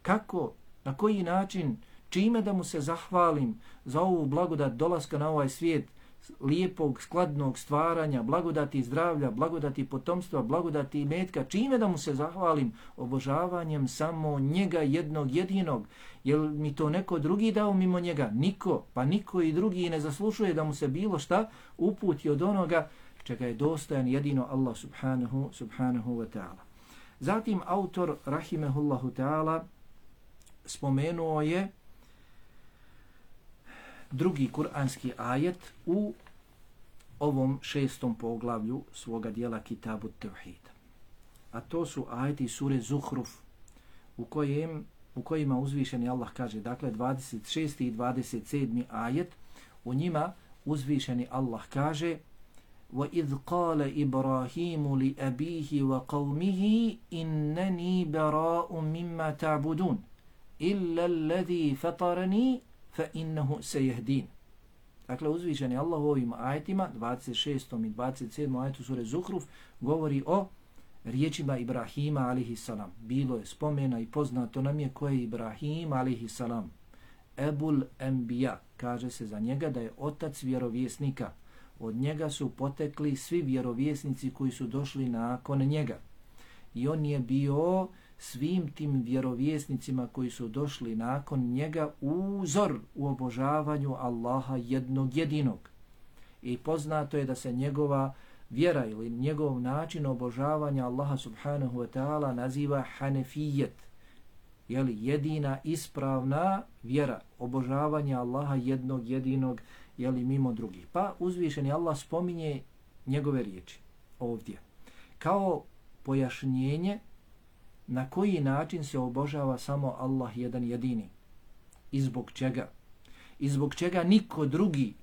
Kako, na koji način, čime da mu se zahvalim za ovu blagodat dolaska na ovaj svijet, lijepog, skladnog stvaranja, blagodati zdravlja, blagodati potomstva, blagodati imetka, čime da mu se zahvalim? Obožavanjem samo njega jednog jedinog. Jel mi to neko drugi dao mimo njega? Niko, pa niko i drugi ne zaslušuje da mu se bilo šta uputi od onoga čega je dostojan jedino Allah subhanahu, subhanahu wa ta'ala. Zatim autor rahimehullahu ta'ala spomenuo je drugi kuranski ajet u ovom šestom poglavlju svoga dijela Kitabu Tevhid. A to su ajeti sure Zuhruf u, kojem, u kojima uzvišeni Allah kaže, dakle dvadeset šesti i dvadeset sedmi ajet, u njima uzvišeni Allah kaže وَإِذْ قَالَ إِبْرَاهِيمُ لِأَبِيهِ وَقَوْمِهِ إِنَّنِي بَرَاءٌ مِمَّا تَعْبُدُونَ إِلَّا الَّذِي فَطَرَنِي فَإِنَّهُ سَيَهْدِينَ. Dakle, uzvišeni Allah u ovim ajetima, dvadeset šestom i dvadeset sedmom ajetu sure Zuhruf, govori o riječima Ibrahima alaihi salam. Bilo je spomena i poznato nam je ko je Ibrahim alaihi salam. Ebul Enbiya, kaže se za njega da je otac vjerovjesnika. Od njega su potekli svi vjerovjesnici koji su došli nakon njega. I on je bio svim tim vjerovjesnicima koji su došli nakon njega uzor u obožavanju Allaha jednog jedinog. I poznato je da se njegova vjera ili njegov način obožavanja Allaha subhanahu wa ta'ala naziva hanefijet. Jeli, jedina ispravna vjera, obožavanja Allaha jednog jedinog, jeli, mimo drugih. Pa uzvišeni Allah spominje njegove riječi ovdje kao pojašnjenje na koji način se obožava samo Allah jedan jedini. I zbog čega? I zbog čega niko drugi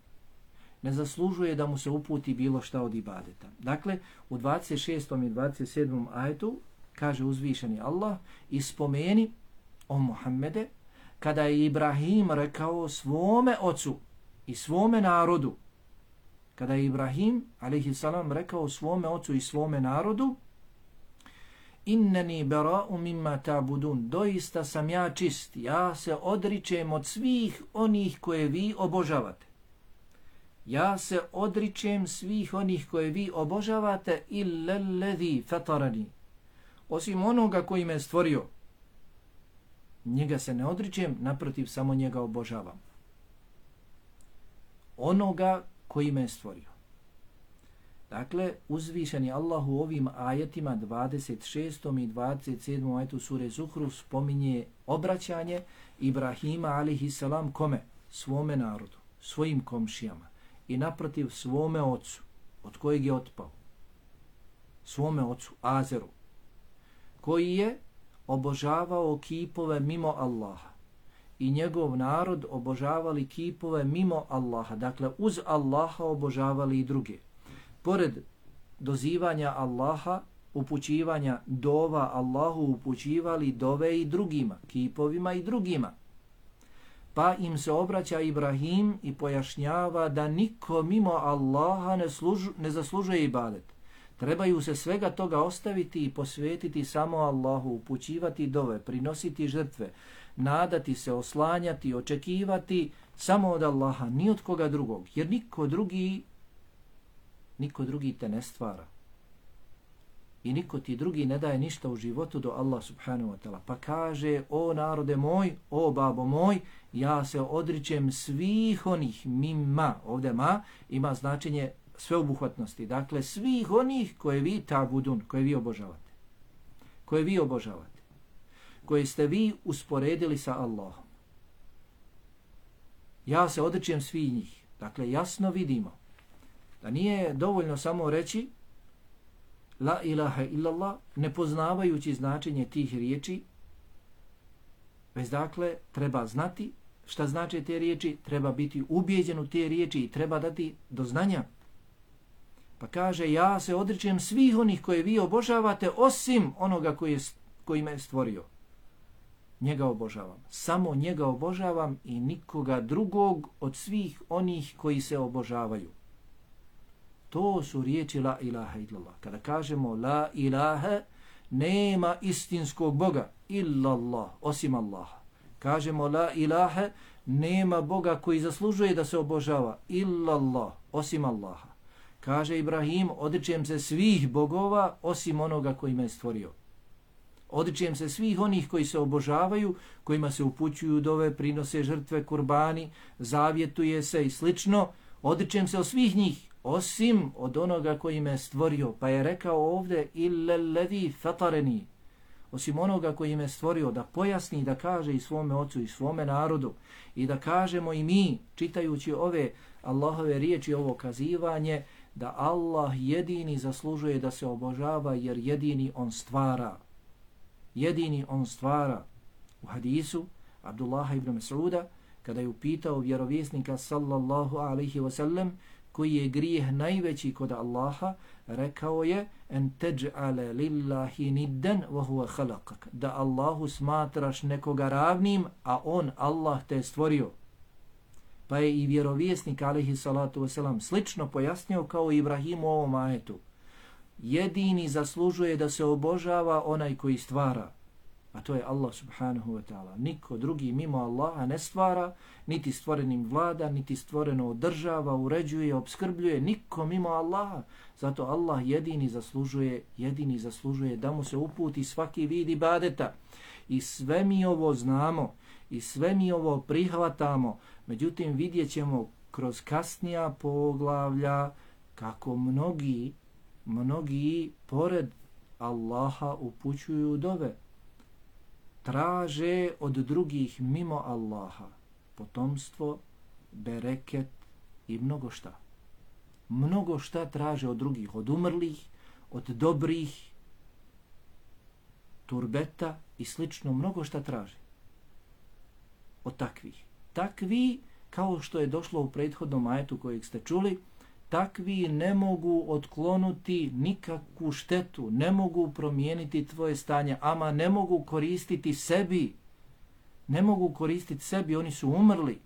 ne zaslužuje da mu se uputi bilo šta od ibadeta. Dakle, u dvadeset šestom i dvadeset sedmom ajetu kaže uzvišeni Allah i spomeni o Muhammede kada je Ibrahim rekao svome ocu i svome narodu. Kada je Ibrahim alejhi salam rekao svome ocu i svome narodu Inneni bera'u mimma ta'budun, doista sam ja čist, ja se odričem od svih onih koje vi obožavate. Ja se odričem svih onih koje vi obožavate illa allazi fatarani, osim onoga koji me stvorio. Njega se ne odričem, naprotiv samo njega obožavam. Onoga koji me stvorio. Dakle, uzvišeni Allah u ovim ajetima dvadeset šestom i dvadeset sedmom ajetu sure Zuhruf spominje obraćanje Ibrahima alejhi salam kome? Svome narodu, svojim komšijama i naprotiv svome ocu, od kojeg je otpao. Svome ocu, Azeru, koji je obožavao kipove mimo Allaha i njegov narod obožavali kipove mimo Allaha, dakle uz Allaha obožavali i druge. Pored dozivanja Allaha, upućivanja dova Allahu, upućivali dove i drugima, kipovima i drugima. Pa im se obraća Ibrahim i pojašnjava da niko mimo Allaha ne, služu, ne zaslužuje ibadet. Trebaju se svega toga ostaviti i posvetiti samo Allahu, upućivati dove, prinositi žrtve, nadati se, oslanjati, očekivati samo od Allaha, ni od koga drugog, jer niko drugi Niko drugi te ne stvara. I niko ti drugi ne daje ništa u životu do Allah subhanahu wa ta'ala. Pa kaže, o narode moj, o babo moj, ja se odričem svih onih mimma, ovdje ma, ima značenje sveobuhvatnosti. Dakle, svih onih koje vi ta'budun, koje vi obožavate. Koje vi obožavate. Koje ste vi usporedili sa Allahom. Ja se odričem svih njih. Dakle, jasno vidimo da nije dovoljno samo reći la ilaha illallah, ne poznavajući značenje tih riječi, već dakle treba znati šta znače te riječi, treba biti ubijeđen u te riječi i treba dati do znanja. Pa kaže, ja se odričem svih onih koje vi obožavate, osim onoga koji, je, koji me stvorio. Njega obožavam. Samo njega obožavam i nikoga drugog od svih onih koji se obožavaju. To su riječi la ilaha illallah. Kada kažemo la ilaha, nema istinskog Boga illallah, osim Allaha. Kažemo la ilaha, nema Boga koji zaslužuje da se obožava illallah, osim Allaha. Kaže Ibrahim, odričem se svih bogova osim onoga koji me stvorio. Odričem se svih onih koji se obožavaju, kojima se upućuju dove, prinose žrtve, kurbani, zavjetuje se i slično. Odričem se od svih njih, osim od onoga koji me stvorio. Pa je rekao ovdje illa alladhi fatarani, osim onoga koji me stvorio, da pojasni, da kaže i svome ocu i svome narodu i da kažemo i mi, čitajući ove Allahove riječi, ovo kazivanje, da Allah jedini zaslužuje da se obožava, jer jedini on stvara. Jedini on stvara. U hadisu Abdullaha ibn Mas'uda, kada je upitao vjerovjesnika sallallahu alaihi wasallam koji je grijeh najveći kod Allaha, rekao je en teđ'ale lillahi niddan wa huwa khalaqak, da Allahu smatraš nekoga ravnim, a on, Allah, te stvorio. Pa je i vjerovjesnik alaihi salatu wasalam slično pojasnio kao Ibrahim u ovom ajetu. Jedini zaslužuje da se obožava onaj koji stvara, a to je Allah subhanahu wa ta'ala. Niko drugi mimo Allaha ne stvara, niti stvorenim vlada, niti stvoreno održava, uređuje, obskrbljuje, niko mimo Allaha. Zato Allah jedini zaslužuje, jedini zaslužuje da mu se uputi svaki vid ibadeta. I sve mi ovo znamo, i sve mi ovo prihvatamo, međutim vidjet ćemo kroz kasnija poglavlja kako mnogi, mnogi pored Allaha upućuju dove. Traže od drugih mimo Allaha potomstvo, bereket i mnogo šta. Mnogo šta traže od drugih, od umrlih, od dobrih, turbeta i slično, mnogo šta traže od takvih. Takvi, kao što je došlo u prethodnom ajetu kojeg ste čuli, takvi ne mogu otklonuti nikakvu štetu, ne mogu promijeniti tvoje stanje, ama ne mogu koristiti sebi. Ne mogu koristiti sebi, oni su umrli.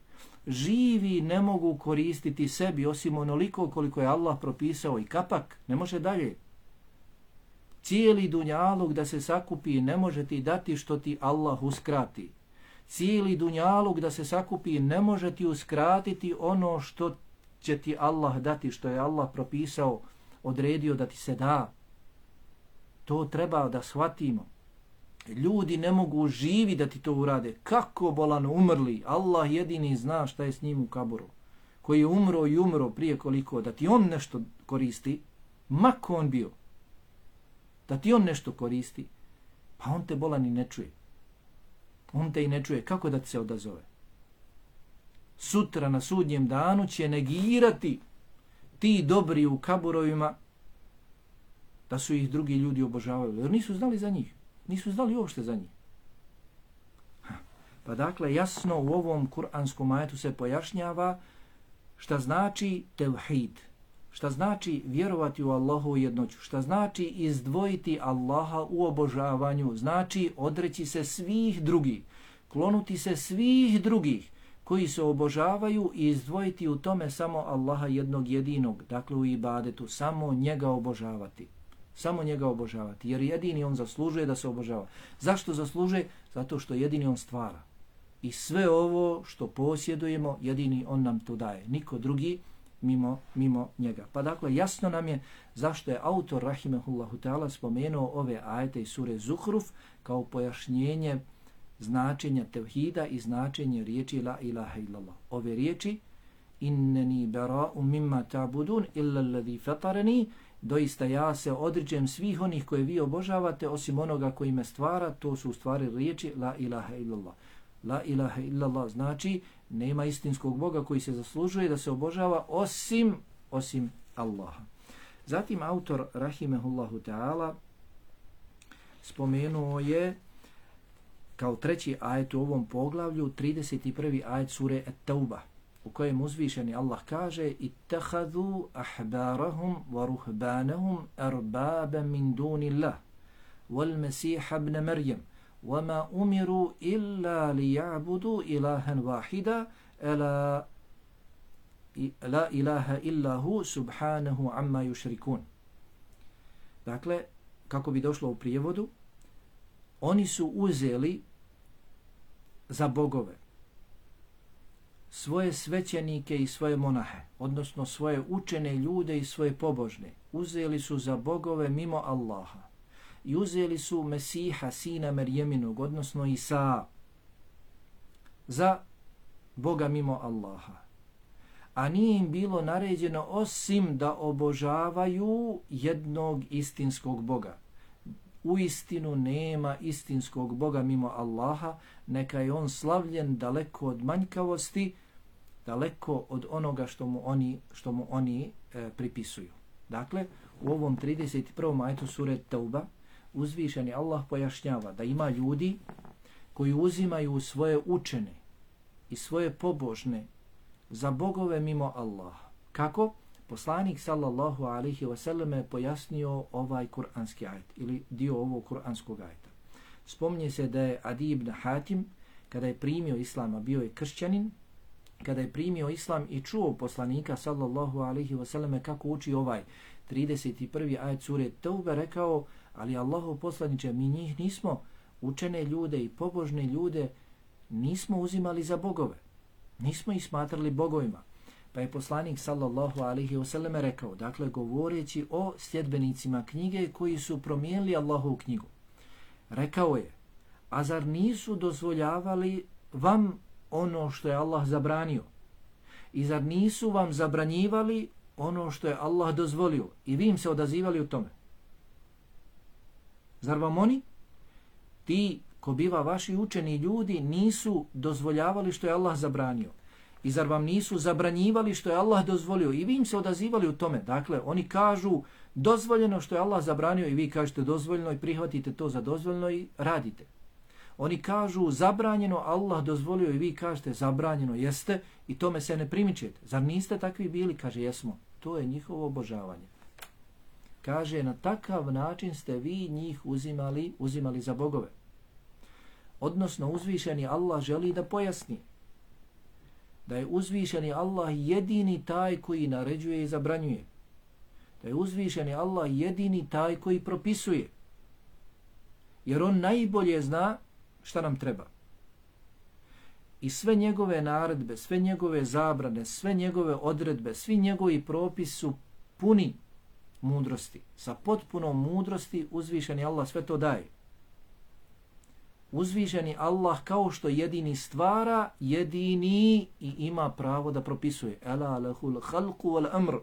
Živi ne mogu koristiti sebi, osim onoliko koliko je Allah propisao i kapak, ne može dalje. Cijeli dunjaluk da se sakupi ne može ti dati što ti Allah uskrati. Cijeli dunjaluk da se sakupi ne može ti uskratiti ono što će ti Allah dati, što je Allah propisao, odredio da ti se da. To treba da shvatimo. Ljudi ne mogu živi da ti to urade. Kako bolan umrli? Allah jedini zna šta je s njim u kaburu. Koji je umro i umro prije koliko, da ti on nešto koristi, mako on bio, da ti on nešto koristi, pa on te bolan i ne čuje. On te i ne čuje. Kako da ti se odazove? Sutra na sudnjem danu će negirati ti dobri u kaburovima da su ih drugi ljudi obožavali. Jer nisu znali za njih. Nisu znali uopšte za njih. Ha. Pa dakle, jasno u ovom kuranskom ajetu se pojašnjava šta znači tevhid. Šta znači vjerovati u Allahovu jednoću. Šta znači izdvojiti Allaha u obožavanju. Znači odreći se svih drugih. Klonuti se svih drugih koji se obožavaju i izdvojiti u tome samo Allaha jednog jedinog, dakle u ibadetu, samo njega obožavati. Samo njega obožavati, jer jedini on zaslužuje da se obožava. Zašto zaslužuje? Zato što jedini on stvara. I sve ovo što posjedujemo, jedini on nam to daje. Niko drugi mimo, mimo njega. Pa dakle, jasno nam je zašto je autor rahimehullahu ta'ala spomenuo ove ajete iz sure Zuhruf kao pojašnjenje značenja tevhida i značenje riječi la ilaha illallah. Ove riječi inneni bara'u mimma ta'budun illa alladhi fatarani, doista ja se odričem svih onih koje vi obožavate osim onoga koji me stvara, to su u stvari riječi la ilaha illallah. La ilaha illallah znači nema istinskog Boga koji se zaslužuje da se obožava osim osim Allaha. Zatim autor rahimehullahu ta'ala spomenuo je kao treći ajet u ovom poglavlju trideset prvi ajet sure At-Tauba, u kojem uzvišeni Allah kaže ittakhadhu ahbarahum wa ruhbanahum arbaba min dunillah wal masih ibn maryam wama umiru illa liya'budu ilahan wahida la la ilaha illa hu subhanahu amma yushrikun. Dakle, kako bi došlo u prijevodu, oni su uzeli za bogove svoje svećenike i svoje monahe, odnosno svoje učene ljude i svoje pobožne. Uzeli su za bogove mimo Allaha. I uzeli su Mesiha, sina Merjeminog, odnosno Isa, za Boga mimo Allaha. a nije im bilo naređeno osim da obožavaju jednog istinskog Boga. Uistinu nema istinskog Boga mimo Allaha, neka je on slavljen daleko od manjkavosti, daleko od onoga što mu oni, što mu oni e, pripisuju. Dakle, u ovom trideset prvom ajetu sure Tauba uzvišeni Allah pojašnjava da ima ljudi koji uzimaju svoje učene i svoje pobožne za bogove mimo Allaha. Kako? Poslanik sallallahu alaihi wasallam je pojasnio ovaj kuranski ajet ili dio ovog kuranskog ajeta. Spomnje se da je Adi ibn Hatim, kada je primio islama, bio je kršćanin, kada je primio islam i čuo poslanika sallallahu alaihi wasallam kako uči ovaj trideset prvi ajet sure Tauba, rekao, ali Allahov poslaniče, mi njih nismo, učene ljude i pobožne ljude, nismo uzimali za bogove. Nismo ih smatrali bogovima. Pa je poslanik sallallahu alaihi wasallam rekao, dakle govoreći o sljedbenicima knjige koji su promijenili Allahovu knjigu. Rekao je, a zar nisu dozvoljavali vam ono što je Allah zabranio? I zar nisu vam zabranjivali ono što je Allah dozvolio? I vi im se odazivali u tome. Zar vam oni, ti ko biva vaši učeni ljudi, nisu dozvoljavali što je Allah zabranio? I zar vam nisu zabranjivali što je Allah dozvolio? I vi im se odazivali u tome. Dakle, oni kažu dozvoljeno što je Allah zabranio i vi kažete dozvoljeno i prihvatite to za dozvoljeno i radite. Oni kažu zabranjeno, Allah dozvolio i vi kažete zabranjeno jeste i tome se ne primičete. Zar niste takvi bili? Kaže, jesmo. To je njihovo obožavanje. Kaže, na takav način ste vi njih uzimali, uzimali za bogove. Odnosno, uzvišeni Allah želi da pojasni da je uzvišeni Allah jedini taj koji naređuje i zabranjuje. Da je uzvišeni Allah jedini taj koji propisuje. Jer on najbolje zna šta nam treba. I sve njegove naredbe, sve njegove zabrane, sve njegove odredbe, svi njegovi propisi su puni mudrosti. Sa potpunom mudrosti uzvišeni Allah sve to daje. Uzvišeni Allah kao što jedini stvara, jedini i ima pravo da propisuje. Ela lahul khalqu wal amr.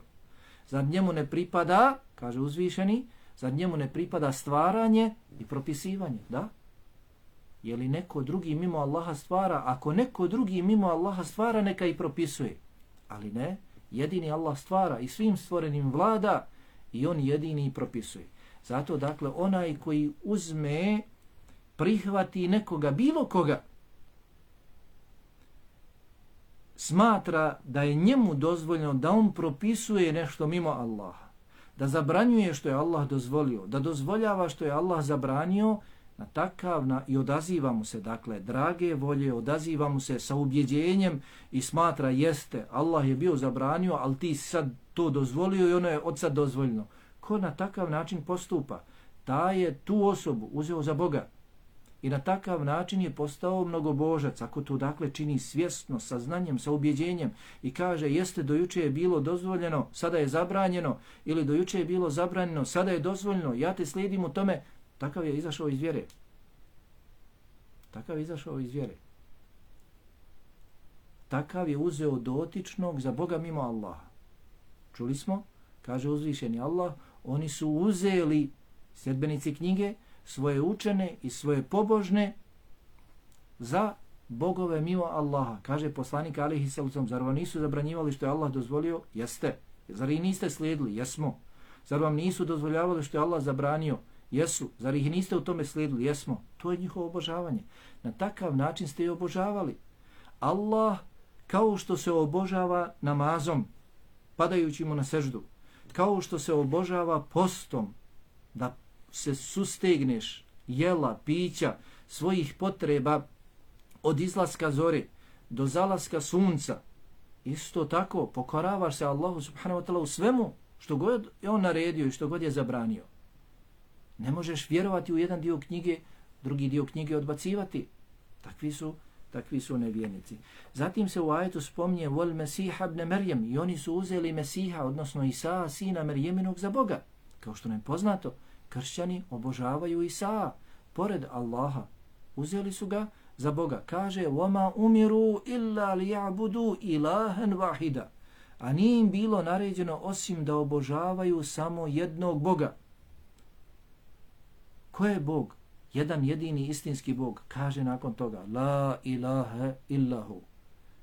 Zar njemu ne pripada, kaže uzvišeni, zar njemu ne pripada stvaranje i propisivanje? Da? Je li neko drugi mimo Allaha stvara? Ako neko drugi mimo Allaha stvara, neka i propisuje. Ali ne, jedini Allah stvara i svim stvorenim vlada i on jedini i propisuje. Zato, dakle, onaj koji uzme, prihvati nekoga, bilo koga, smatra da je njemu dozvoljeno da on propisuje nešto mimo Allaha, da zabranjuje što je Allah dozvolio, da dozvoljava što je Allah zabranio, na takav na, i odaziva mu se, dakle, drage volje, odaziva mu se sa ubjeđenjem i smatra jeste, Allah je bio zabranio, ali ti sad to dozvolio i ono je od sad dozvoljeno. Ko na takav način postupa, ta je tu osobu uzeo za Boga. I na takav način je postao mnogobožac, ako to dakle čini svjesno, sa znanjem, sa ubjeđenjem i kaže jeste dojuče je bilo dozvoljeno, sada je zabranjeno, ili dojuče je bilo zabranjeno, sada je dozvoljeno, ja te slijedim u tome, takav je izašao iz vjere. Takav je izašao iz vjere. Takav je uzeo dotičnog za Boga mimo Allaha. Čuli smo, kaže uzvišeni Allah, oni su uzeli, sljedbenici knjige, svoje učene i svoje pobožne za bogove mimo Allaha. Kaže poslanik alejhi selam, zar vam nisu zabranjivali što je Allah dozvolio? Jeste. Zar ih niste slijedili? Jesmo. Zar vam nisu dozvoljavali što je Allah zabranio? Jesu. Zar ih niste u tome slijedili? Jesmo. To je njihovo obožavanje. Na takav način ste i obožavali. Allah kao što se obožava namazom, padajući mu na seždu, kao što se obožava postom, da se sustegneš jela, pića, svojih potreba od izlaska zore do zalaska sunca, isto tako pokoravaš se Allahu subhanahu wa ta'ala u svemu što god je on naredio i što god je zabranio. Ne možeš vjerovati u jedan dio knjige, drugi dio knjige odbacivati. Takvi su, takvi su nevjernici. Zatim se u ajetu spominje vol Mesiha ibn Merjem i oni su uzeli Mesiha, odnosno Isa, sina Merjeminog za Boga. Kao što nam je poznato, kršćani obožavaju Isa pored Allaha. Uzeli su ga za Boga. Kaže, وَمَا أُمِرُوا إِلَّا لِيَعْبُدُوا إِلَهًا وَاحِدًا. a nije im bilo naređeno osim da obožavaju samo jednog Boga. Ko je Bog? Jedan jedini istinski Bog. Kaže nakon toga, la ilaha illahu.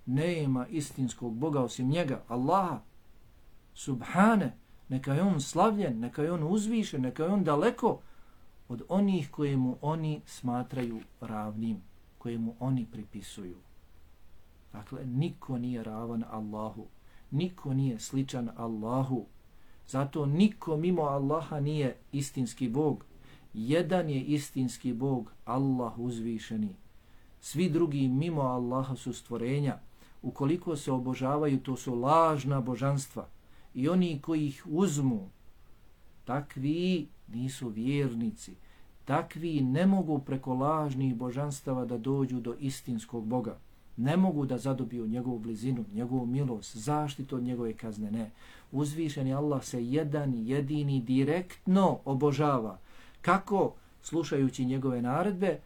Nema istinskog Boga osim njega, Allaha. Subhane, neka je on slavljen, neka je on uzvišen, neka je on daleko od onih koje mu oni smatraju ravnim, koje mu oni pripisuju. Dakle, niko nije ravan Allahu, niko nije sličan Allahu, zato niko mimo Allaha nije istinski Bog. Jedan je istinski Bog, Allah uzvišeni. Svi drugi mimo Allaha su stvorenja. Ukoliko se obožavaju, to su lažna božanstva. I oni koji ih uzmu, takvi nisu vjernici. Takvi ne mogu preko lažnih božanstava da dođu do istinskog Boga. Ne mogu da zadobiju njegovu blizinu, njegovu milost, zaštitu od njegove kazne. Ne. Uzvišeni Allah se jedan jedini direktno obožava. Kako? Slušajući njegove naredbe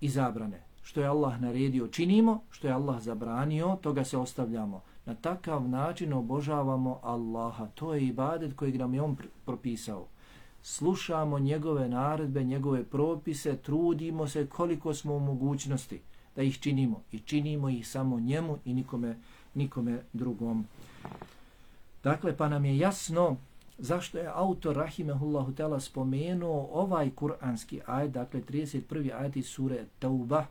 i zabrane. Što je Allah naredio činimo, što je Allah zabranio, toga se ostavljamo. Na takav način obožavamo Allaha. To je ibadet kojeg nam je on propisao. Slušamo njegove naredbe, njegove propise, trudimo se koliko smo u mogućnosti da ih činimo. I činimo ih samo njemu i nikome, nikome drugom. Dakle, pa nam je jasno zašto je autor rahimehullahu ta'ala spomenuo ovaj kuranski ajet, dakle trideset prvi ajet iz sure Tauba,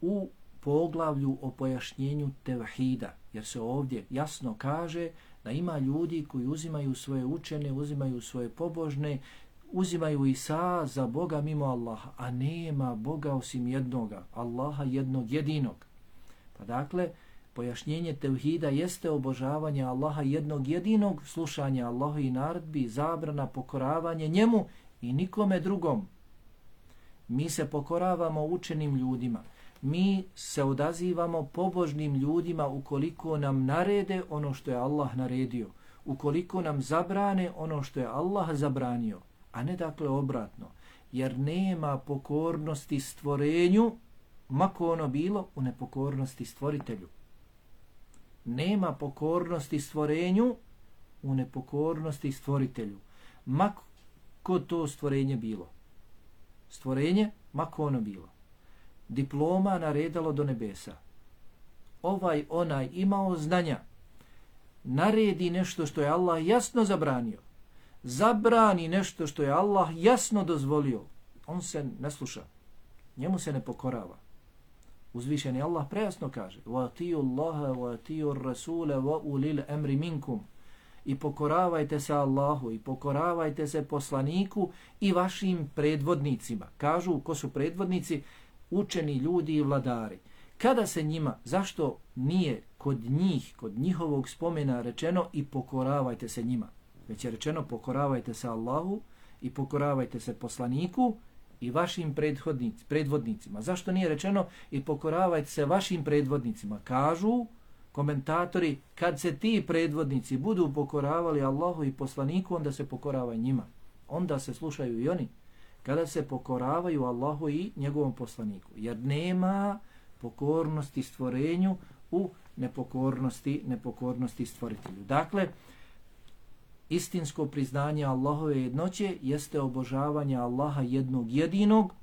u poglavlju o pojašnjenju tevhida, jer se ovdje jasno kaže da ima ljudi koji uzimaju svoje učene, uzimaju svoje pobožne, uzimaju Isa za Boga mimo Allaha, a nema Boga osim jednoga, Allaha jednog jedinog. Pa dakle, pojašnjenje tevhida jeste obožavanje Allaha jednog jedinog, slušanje Allahovi naredbi, zabrana, pokoravanje njemu i nikome drugom. Mi se pokoravamo učenim ljudima. Mi se odazivamo pobožnim ljudima ukoliko nam narede ono što je Allah naredio, ukoliko nam zabrane ono što je Allah zabranio, a ne dakle obratno, jer nema pokornosti stvorenju, mako ono bilo, u nepokornosti stvoritelju. Nema pokornosti stvorenju u nepokornosti stvoritelju, mako to stvorenje bilo. Stvorenje, mako ono bilo. Diploma naredalo do nebesa. Ovaj onaj imao znanja, naredi nešto što je Allah jasno zabranio, zabrani nešto što je Allah jasno dozvolio, on se ne sluša, njemu se ne pokorava. Uzvišeni Allah prejasno kaže: وَاتِيُوا اللَّهَ وَاتِيُوا الرَّسُولَ وَأُولِي الْأَمْرِ مِنْكُمْ. I pokoravajte se Allahu, i pokoravajte se poslaniku i vašim predvodnicima. Kažu, ko su predvodnici? Učeni ljudi i vladari. Kada se njima, zašto nije kod njih, kod njihovog spomena rečeno i pokoravajte se njima? Već je rečeno pokoravajte se Allahu i pokoravajte se poslaniku i vašim predvodnicima. Zašto nije rečeno i pokoravajte se vašim predvodnicima? Kažu komentatori, kad se ti predvodnici budu pokoravali Allahu i poslaniku, onda se pokoravaj njima. Onda se slušaju i oni. Kada se pokoravaju Allahu i njegovom poslaniku. Jer nema pokornosti stvorenju u nepokornosti, nepokornosti stvoritelju. Dakle, istinsko priznanje Allahove jednoće jeste obožavanje Allaha jednog jedinog,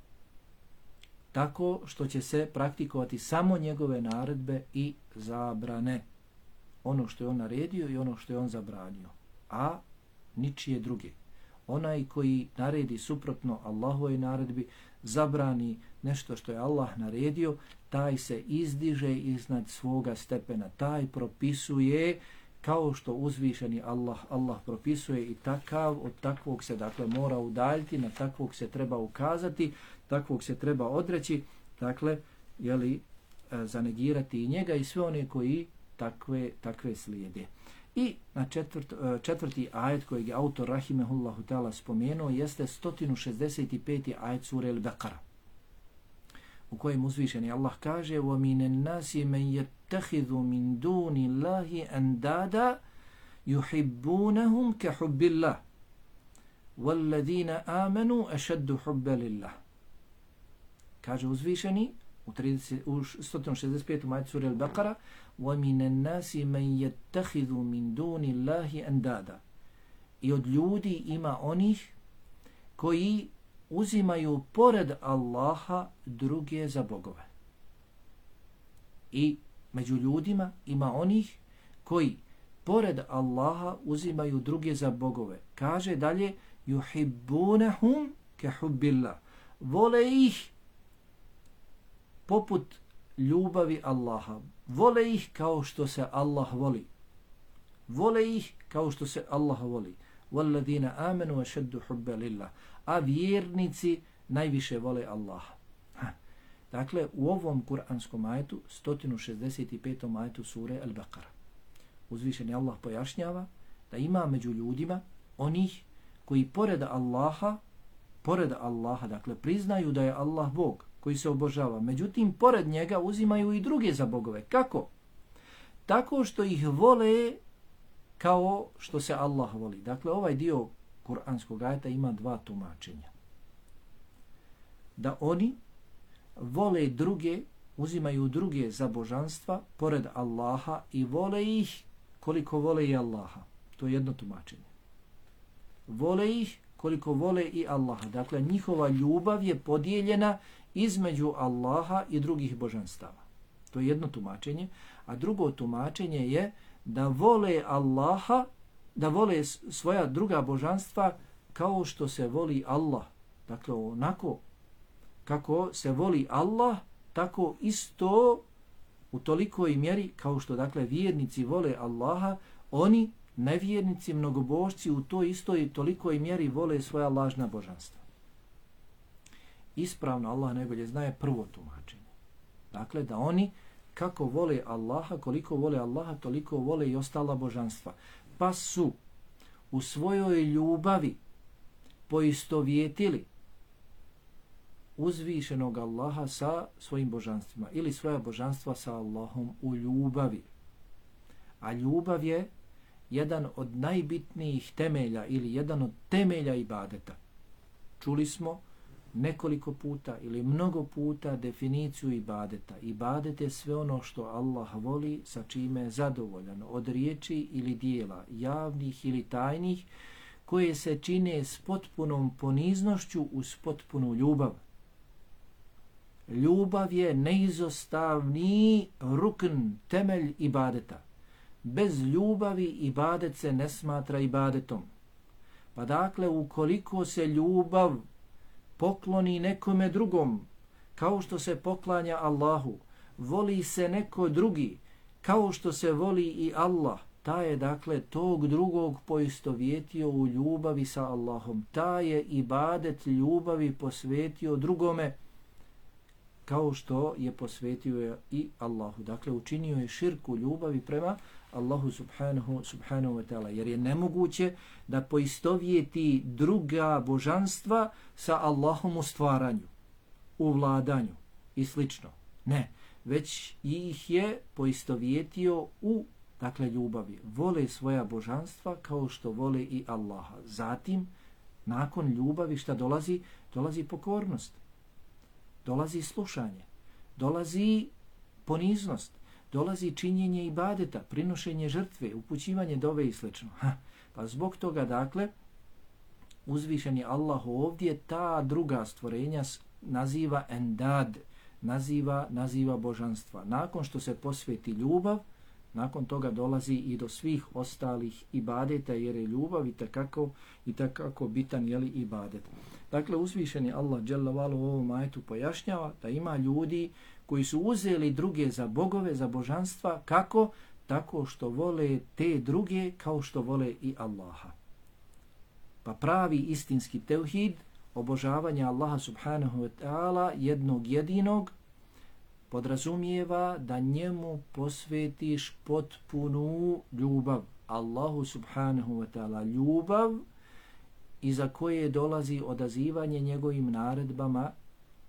tako što će se praktikovati samo njegove naredbe i zabrane. Ono što je on naredio i ono što je on zabranio. A ničije druge. Onaj koji naredi suprotno Allahove naredbi, zabrani nešto što je Allah naredio, taj se izdiže iznad svoga stepena. Taj propisuje kao što uzvišeni Allah, Allah propisuje i takav, od takvog se dakle mora udaljiti, na takvog se treba ukazati, takvog se treba odreći, dakle, jeli, zanegirati i njega i sve one koji takve, takve slijede. I na četvrt, četvrti ajet kojeg je autor rahimehullahu ta'ala spomenuo jeste sto šezdeset peti ajet sure Al-Baqara, u kojem uzvišeni Allah kaže: وَمِنَ النَّاسِ مَنْ يَتَّخِذُ مِنْ دُونِ اللَّهِ أَنْدَادًا يُحِبُّونَهُمْ كَحُبِّ اللَّهِ وَالَّذِينَ آمَنُوا أَشَدُّ حُبًّا لِلَّهِ. Kaže uzvišeni, u, trideset, u sto šezdeset petom ajetu sure Al-Baqara وَمِنَ النَّاسِ مَنْ يَتَّخِذُ مِنْ دُونِ اللَّهِ أَنْدَادًا. I od ljudi ima onih koji uzimaju pored Allaha druge za bogove. I među ljudima ima onih koji pored Allaha uzimaju druge za bogove. Kaže dalje yuhibbunahum kahubbillah. Vole ih poput ljubavi Allaha. Vole ih kao što se Allah voli. Vole ih kao što se Allah voli. وَالَّذِينَ آمَنُوا وَشَدُّ حُبَّ لِلَّهِ. A vjernici najviše vole Allaha. Ha. Dakle, u ovom kuranskom ajetu, sto šezdeset petom ajetu sure Al-Baqara, uzvišeni Allah pojašnjava da ima među ljudima onih koji pored Allaha, pored Allaha, dakle, priznaju da je Allah Bog koji se obožava. Međutim, pored njega uzimaju i druge za bogove. Kako? Tako što ih vole kao što se Allah voli. Dakle, ovaj dio kuranskog ajeta ima dva tumačenja. Da oni vole druge, uzimaju druge za božanstva pored Allaha i vole ih koliko vole i Allaha. To je jedno tumačenje. Vole ih koliko vole i Allaha. Dakle, njihova ljubav je podijeljena između Allaha i drugih božanstava. To je jedno tumačenje. A drugo tumačenje je da vole Allaha, da vole svoja druga božanstva kao što se voli Allah. Dakle, onako kako se voli Allah, tako isto u tolikoj mjeri kao što, dakle, vjernici vole Allaha, oni, nevjernici, mnogobožci, u toj istoj tolikoj mjeri vole svoja lažna božanstva. Ispravno, Allah najbolje znaje prvo tumačenje. Dakle, da oni kako vole Allaha, koliko vole Allaha, toliko vole i ostala božanstva. Pa su u svojoj ljubavi poistovjetili uzvišenog Allaha sa svojim božanstvima ili svoja božanstva sa Allahom u ljubavi. A ljubav je jedan od najbitnijih temelja ili jedan od temelja ibadeta. Čuli smo nekoliko puta ili mnogo puta definiciju ibadeta. Ibadet je sve ono što Allah voli, sa čime je zadovoljan, od riječi ili dijela, javnih ili tajnih, koje se čine s potpunom poniznošću uz potpunu ljubav. Ljubav je neizostavni rukn, temelj ibadeta. Bez ljubavi ibadet se ne smatra ibadetom. Pa dakle, ukoliko se ljubav pokloni nekome drugom, kao što se poklanja Allahu, voli se neko drugi, kao što se voli i Allah, ta je, dakle, tog drugog poistovjetio u ljubavi sa Allahom. Ta je ibadet ljubavi posvetio drugome, kao što je posvetio i Allahu. Dakle, učinio je širku ljubavi prema Allahu subhanahu, subhanahu wa ta'ala. Jer je nemoguće da poistovjeti druga božanstva sa Allahom u stvaranju, u vladanju i slično. Ne, već ih je poistovjetio u, dakle, ljubavi. Vole svoja božanstva kao što vole i Allaha. Zatim, nakon ljubavi šta dolazi? Dolazi pokornost. Dolazi slušanje. Dolazi poniznost. Dolazi činjenje ibadeta, prinošenje žrtve, upućivanje dove i sl. Pa zbog toga, dakle, uzvišeni Allah ovdje ta druga stvorenja naziva endad, naziva, naziva božanstva. Nakon što se posveti ljubav, nakon toga dolazi i do svih ostalih ibadeta, jer je ljubav i takako, i takako bitan, jeli, ibadet. Dakle, uzvišeni Allah dželle vale u ovom ajetu pojašnjava da ima ljudi koji su uzeli druge za bogove, za božanstva. Kako? Tako što vole te druge kao što vole i Allaha. Pa pravi istinski tevhid, obožavanje Allaha subhanahu wa ta'ala, jednog jedinog, podrazumijeva da njemu posvetiš potpunu ljubav. Allahu subhanahu wa ta'ala ljubav iza koje dolazi odazivanje njegovim naredbama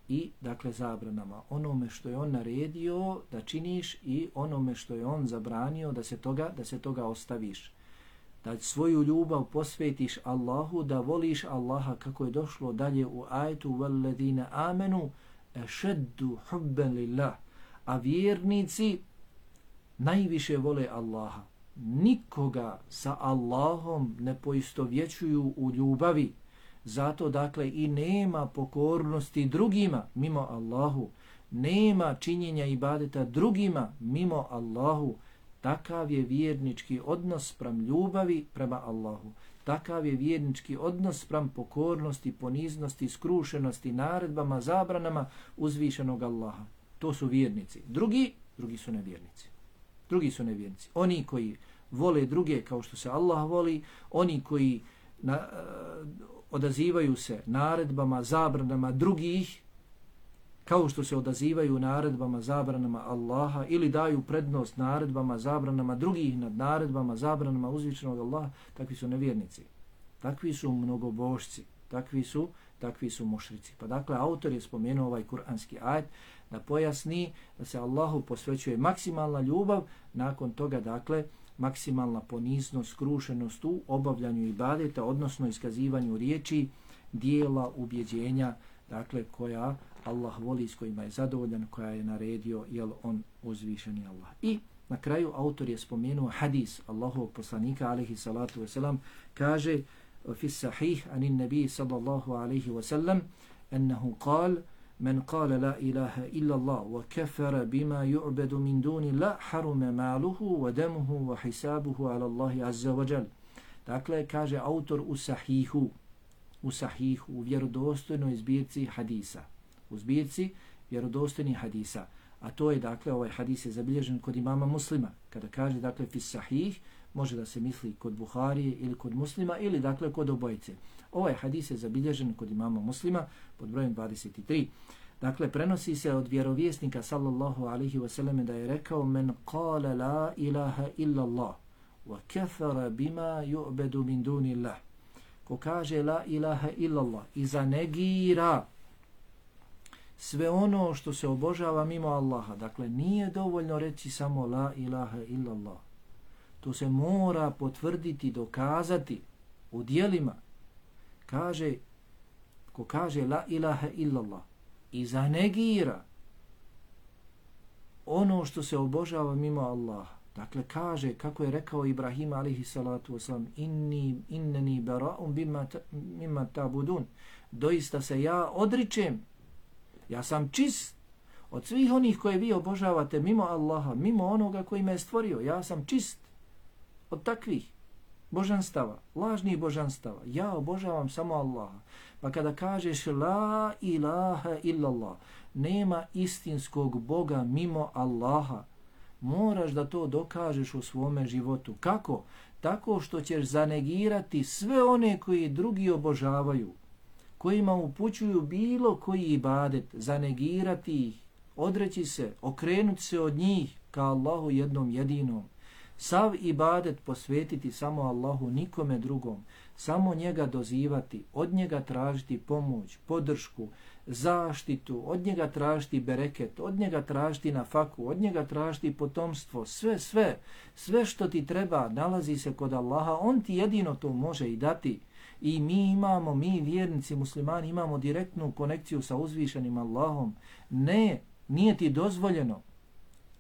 i, dakle, zabranama. Onome što je on naredio da činiš i onome što je on zabranio da se toga, da se toga ostaviš. Da svoju ljubav posvetiš Allahu, da voliš Allaha, kako je došlo dalje u ajetu وَالَّذِينَ آمَنُوا ešeddu hubben lillah, a vjernici najviše vole Allaha. Nikoga sa Allahom ne poistovjećuju u ljubavi, zato dakle i nema pokornosti drugima mimo Allahu, nema činjenja ibadeta drugima mimo Allahu. Takav je vjernički odnos sprem ljubavi prema Allahu. Takav je vjernički odnos sprem pokornosti, poniznosti, skrušenosti, naredbama, zabranama uzvišenog Allaha. To su vjernici. Drugi, drugi su nevjernici. Drugi su nevjernici. Oni koji vole druge kao što se Allah voli, oni koji na, uh, odazivaju se naredbama, zabranama drugih, kao što se odazivaju naredbama, zabranama Allaha, ili daju prednost naredbama, zabranama drugih nad naredbama, zabranama uzvišenog Allaha, takvi su nevjernici. Takvi su mnogobožci. Takvi su, takvi su mušrici. Pa dakle, autor je spomenuo ovaj kuranski ajet da pojasni da se Allahu posvećuje maksimalna ljubav, nakon toga dakle maksimalna poniznost, skrušenost u obavljanju ibadeta, odnosno iskazivanju riječi, dijela, ubjeđenja, dakle koja Allah voli, s kojima je zadovoljan, koja je naredio, jel on uzvišeni Allah. I na kraju autor je spomenuo hadis Allahovog poslanika alejhi salatu vesselam, kaže fi sahih anin nabi sallallahu alejhi ve sellem ennehu kal men kale la ilaha illa Allah wa kafara bima yu'badu min duni la harume maluhu wa demuhu wa hisabuhu ala Allahi azza wa jal. Dakle, kaže autor u sahihu, u sahihu, u vjerodostojnoj zbirci hadisa, u zbirci vjerodostojnih hadisa, a to je dakle, ovaj hadis je zabilježen kod imama Muslima. Kada kaže dakle fi sahih, može da se misli kod Buharije ili kod Muslima ili dakle kod obojice. Ovaj hadis je zabilježen kod imama Muslima pod brojem dvadeset tri. Dakle, prenosi se od vjerovjesnika sallallahu alaihi wasallam da je rekao men qala la ilaha illa Allah wa kafara bima yu'badu min dunillah. Ko kaže la ilaha illa Allah i zanegira sve ono što se obožava mimo Allaha. Dakle, nije dovoljno reći samo la ilaha illa Allah. To se mora potvrditi, dokazati u djelima. Kaže, ko kaže la ilaha illa Allah i zanegira ono što se obožava mimo Allaha. Dakle, kaže, kako je rekao Ibrahim alaihi salatu wasalam, inni, inneni bara'um bima, ta, mima tabudun. Doista se ja odričem, ja sam čist od svih onih koje vi obožavate mimo Allaha, mimo onoga koji me je stvorio. Ja sam čist od takvih božanstava, lažnih božanstava. Ja obožavam samo Allaha. Pa kada kažeš la ilaha illallah, nema istinskog Boga mimo Allaha, moraš da to dokažeš u svome životu. Kako? Tako što ćeš zanegirati sve one koji drugi obožavaju, kojima upućuju bilo koji ibadet, zanegirati ih, odreći se, okrenuti se od njih ka Allahu jednom jedinom. Sav ibadet posvetiti samo Allahu, nikome drugom, samo njega dozivati, od njega tražiti pomoć, podršku, zaštitu, od njega tražiti bereket, od njega tražiti nafaku, od njega tražiti potomstvo, sve, sve, sve što ti treba nalazi se kod Allaha, on ti jedino to može i dati. I mi imamo, mi vjernici muslimani imamo direktnu konekciju sa uzvišenim Allahom. Ne, nije ti dozvoljeno,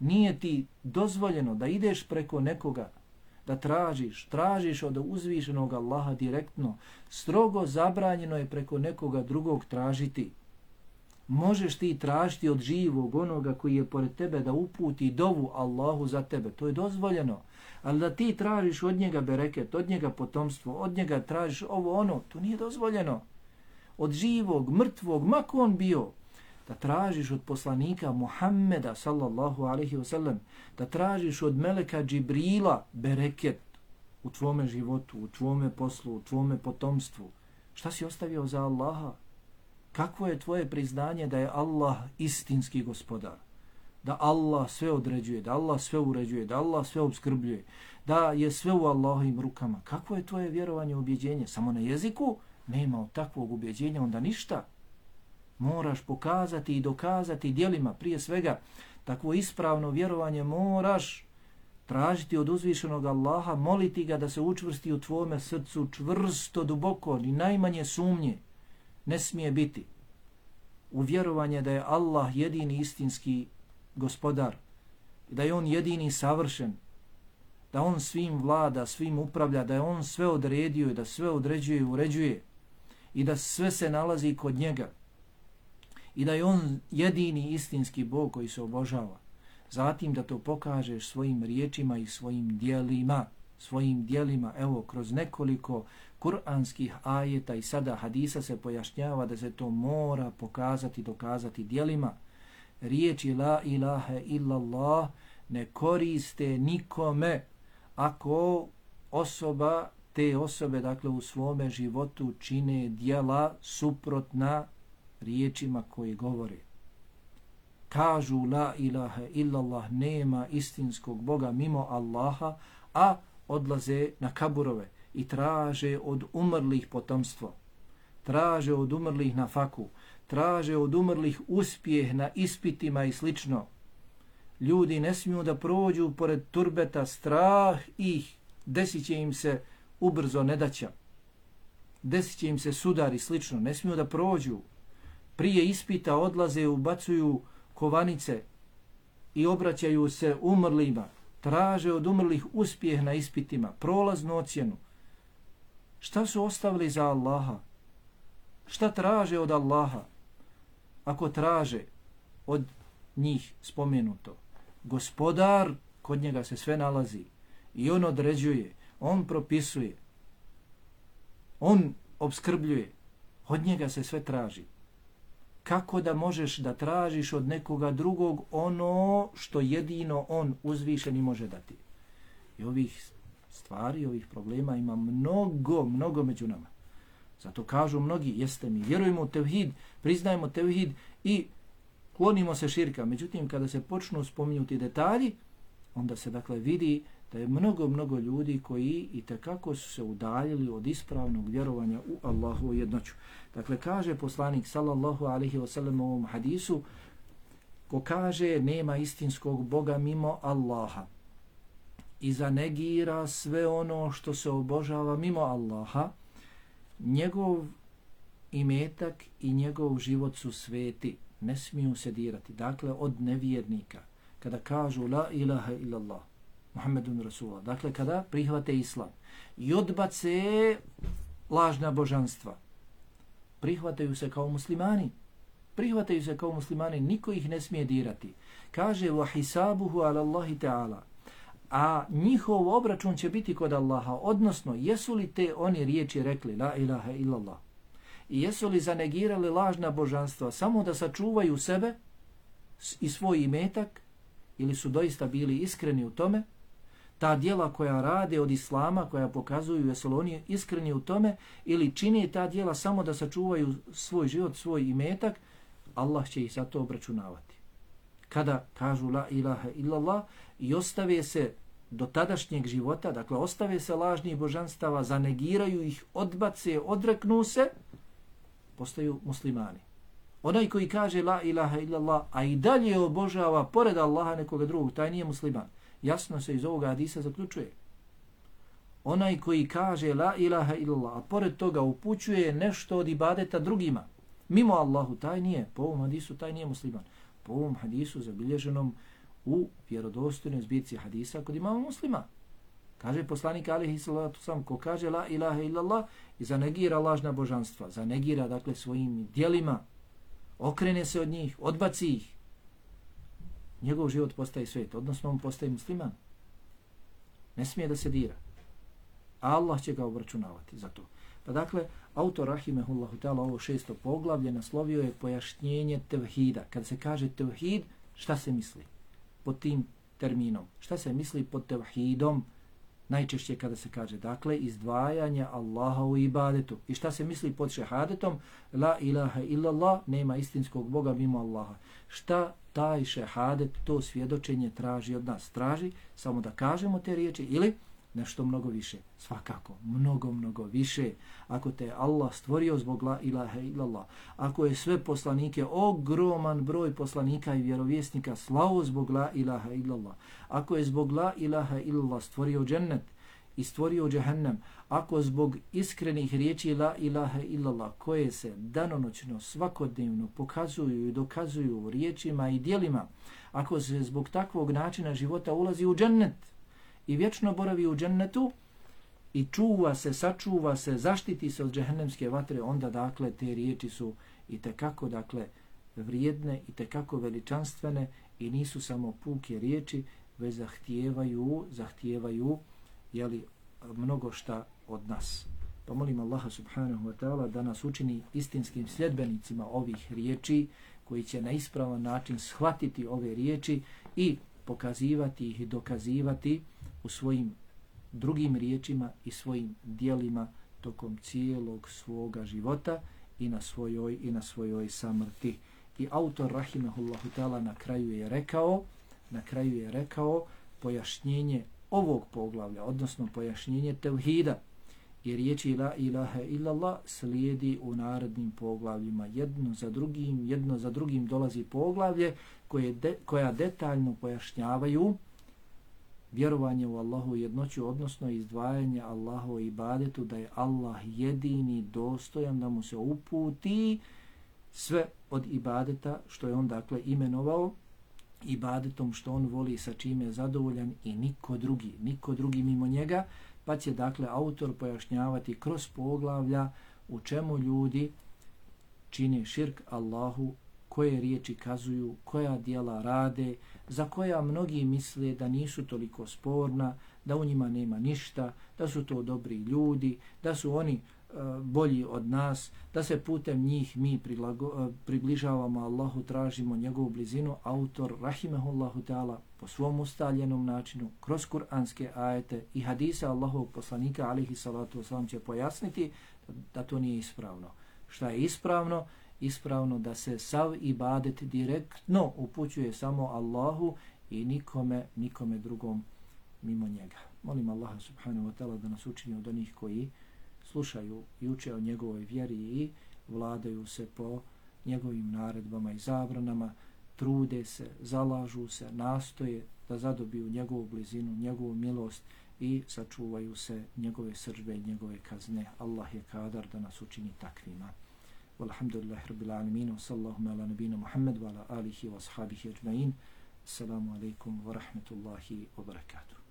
nije ti dozvoljeno da ideš preko nekoga, da tražiš, tražiš od uzvišenog Allaha direktno. Strogo zabranjeno je preko nekoga drugog tražiti. Možeš ti tražiti od živog onoga koji je pored tebe da uputi dovu Allahu za tebe, to je dozvoljeno. Ali da ti tražiš od njega bereket, od njega potomstvo, od njega tražiš ovo ono, to nije dozvoljeno. Od živog, mrtvog, mako on bio, da tražiš od poslanika Muhammeda sallallahu alaihi wasallam, da tražiš od meleka Džibrila bereket u tvome životu, u tvome poslu, u tvome potomstvu. Šta si ostavio za Allaha? Kakvo je tvoje priznanje da je Allah istinski gospodar? Da Allah sve određuje, da Allah sve uređuje, da Allah sve obskrbljuje, da je sve u Allahovim rukama. Kakvo je tvoje vjerovanje, ubjeđenje? Samo na jeziku? Nema od takvog ubjeđenja onda ništa. Moraš pokazati i dokazati djelima, prije svega takvo ispravno vjerovanje moraš tražiti od uzvišenog Allaha, moliti ga da se učvrsti u tvome srcu čvrsto, duboko, ni najmanje sumnje ne smije biti. u vjerovanje da je Allah jedini istinski gospodar, da je on jedini savršen, da on svim vlada, svim upravlja, da je on sve odredio i da sve određuje i uređuje i da sve se nalazi kod njega i da je on jedini istinski Bog koji se obožava. Zatim da to pokažeš svojim riječima i svojim dijelima, svojim dijelima, evo, kroz nekoliko kuranskih ajeta i sada hadisa se pojašnjava da se to mora pokazati, dokazati dijelima. Riječi la ilaha illallah ne koriste nikome ako osoba, te osobe, dakle, u svome životu čine dijela suprotna riječima koje govore. Kažu la ilaha illallah, nema istinskog Boga mimo Allaha, a odlaze na kaburove i traže od umrlih potomstvo, traže od umrlih na faku, traže od umrlih uspjeh na ispitima i slično. Ljudi ne smiju da prođu pored turbeta, strah ih, desit će im se ubrzo nedaća, desit će im se sudar i slično, ne smiju da prođu. Prije ispita odlaze, ubacuju kovanice i obraćaju se umrlima, traže od umrlih uspjeh na ispitima, prolaznu ocjenu. Šta su ostavili za Allaha? Šta traže od Allaha? Ako traže od njih spomenuto, gospodar, kod njega se sve nalazi i on određuje, on propisuje, on obskrbljuje, od njega se sve traži. Kako da možeš da tražiš od nekoga drugog ono što jedino on uzvišeni može dati? I ovih stvari, ovih problema ima mnogo, mnogo među nama. Zato kažu mnogi, jeste mi, vjerujemo u tevhid, priznajemo tevhid i klonimo se širka. Međutim, kada se počnu spominjuti detalji, onda se dakle vidi da je mnogo, mnogo ljudi koji i tekako su se udaljili od ispravnog vjerovanja u Allahu jednoću. Dakle, kaže poslanik sallallahu alaihi wa sallam u ovom hadisu, ko kaže nema istinskog Boga mimo Allaha i zanegira sve ono što se obožava mimo Allaha, njegov imetak i njegov život su sveti, ne smiju se dirati. Dakle, od nevjernika, kada kažu la ilaha illallah, Muhammedun Rasulullah, dakle, kada prihvate islam i odbace lažna božanstva, prihvataju se kao muslimani, prihvataju se kao muslimani, niko ih ne smije dirati. Kaže, wa hisabuhu ala Allahi ta'ala, a njihov obračun će biti kod Allaha, odnosno, jesu li te oni riječi rekli, la ilaha illallah, i jesu li zanegirali lažna božanstva samo da sačuvaju sebe i svoj imetak, ili su doista bili iskreni u tome, ta djela koja rade od islama, koja pokazuju jesu li oni iskreni u tome, ili čine ta djela samo da sačuvaju svoj život, svoj imetak, Allah će ih za to obračunavati. Kada kažu la ilaha illallah i ostave se do tadašnjeg života, dakle ostave se lažnih božanstava, zanegiraju ih, odbace, odreknu se, postaju muslimani. Onaj koji kaže la ilaha illallah, a i dalje obožava pored Allaha nekoga drugog, taj nije musliman. Jasno se iz ovoga hadisa zaključuje. Onaj koji kaže la ilaha illallah, a pored toga upućuje nešto od ibadeta drugima, mimo Allahu, taj nije, po ovom hadisu, taj nije musliman. Po ovom hadisu zabilježenom u vjerodostojnoj zbirci hadisa kod imama Muslima. Kaže poslanik alejhi salatu vesselam, ko kaže la ilaha illallah i zanegira lažna božanstva, zanegira dakle svojim djelima, okrene se od njih, odbaci ih, njegov život postaje svet, odnosno on postaje musliman. Ne smije da se dira. A Allah će ga obračunavati za to. Pa dakle, autor rahimehullahu ta'ala ovo šesto poglavlje naslovio je pojašnjenje tevhida. Kad se kaže tevhid, šta se misli pod tim terminom? Šta se misli pod tevhidom? Najčešće kada se kaže, dakle, izdvajanje Allaha u ibadetu. I šta se misli pod šehadetom? La ilaha illallah, nema istinskog Boga mimo Allaha. Šta taj šehadet, to svjedočenje traži od nas? Traži samo da kažemo te riječi ili nešto mnogo više. Svakako, mnogo, mnogo više. Ako te Allah stvorio zbog la ilaha illallah, ako je sve poslanike, ogroman broj poslanika i vjerovjesnika slao zbog la ilaha illallah, ako je zbog la ilaha illallah stvorio džennet, i stvorio džehennem, ako zbog iskrenih riječi la ilaha illallah koje se danonoćno svakodnevno pokazuju i dokazuju riječima i djelima, ako se zbog takvog načina života ulazi u džennet i vječno boravi u džennetu i čuva se, sačuva se, zaštiti se od džehennemske vatre, onda dakle te riječi su i tekako dakle vrijedne i tekako veličanstvene i nisu samo puke riječi, već zahtijevaju, zahtijevaju jeli, mnogo šta od nas. Pa molim Allaha subhanahu wa ta'ala da nas učini istinskim sljedbenicima ovih riječi, koji će na ispravan način shvatiti ove riječi i pokazivati ih i dokazivati u svojim drugim riječima i svojim dijelima tokom cijelog svoga života i na svojoj i na svojoj samrti. I autor rahimahullahu ta'ala na kraju je rekao, na kraju je rekao pojašnjenje ovog poglavlja, odnosno pojašnjenje tevhida i riječi la ilaha illallah slijedi u narednim poglavljima. Jedno za drugim, jedno za drugim dolazi poglavlje koje de, koja detaljno pojašnjavaju vjerovanje u Allahu jednoću, odnosno izdvajanje Allahu i ibadetu, da je Allah jedini dostojan da mu se uputi sve od ibadeta što je on dakle imenovao ibadetom, što on voli, sa čime je zadovoljan i niko drugi, niko drugi mimo njega, pa će dakle autor pojašnjavati kroz poglavlja u čemu ljudi čine širk Allahu, koje riječi kazuju, koja djela rade, za koja mnogi misle da nisu toliko sporna, da u njima nema ništa, da su to dobri ljudi, da su oni uh, bolji od nas, da se putem njih mi prilago, uh, približavamo Allahu, tražimo njegovu blizinu. Autor rahimehullahu ta'ala po svom ustaljenom načinu, kroz kuranske ajete i hadise Allahovog poslanika alihi salatu wasalam će pojasniti da to nije ispravno. Šta je ispravno? Ispravno da se sav ibadet direktno upućuje samo Allahu i nikome, nikome drugom mimo njega. Molim Allaha subhanahu wa ta'ala da nas učini od onih koji slušaju i uče o njegovoj vjeri i vladaju se po njegovim naredbama i zabranama, trude se, zalažu se, nastoje da zadobiju njegovu blizinu, njegovu milost i sačuvaju se njegove srdžbe i njegove kazne. Allah je kadar da nas učini takvima. Walhamdulillahi rabbil alamin, wa sallallahu ala nabina Muhammad wa ala alihi wa ashabihi ajma'in. Assalamu alaikum wa rahmatullahi wa barakatuh.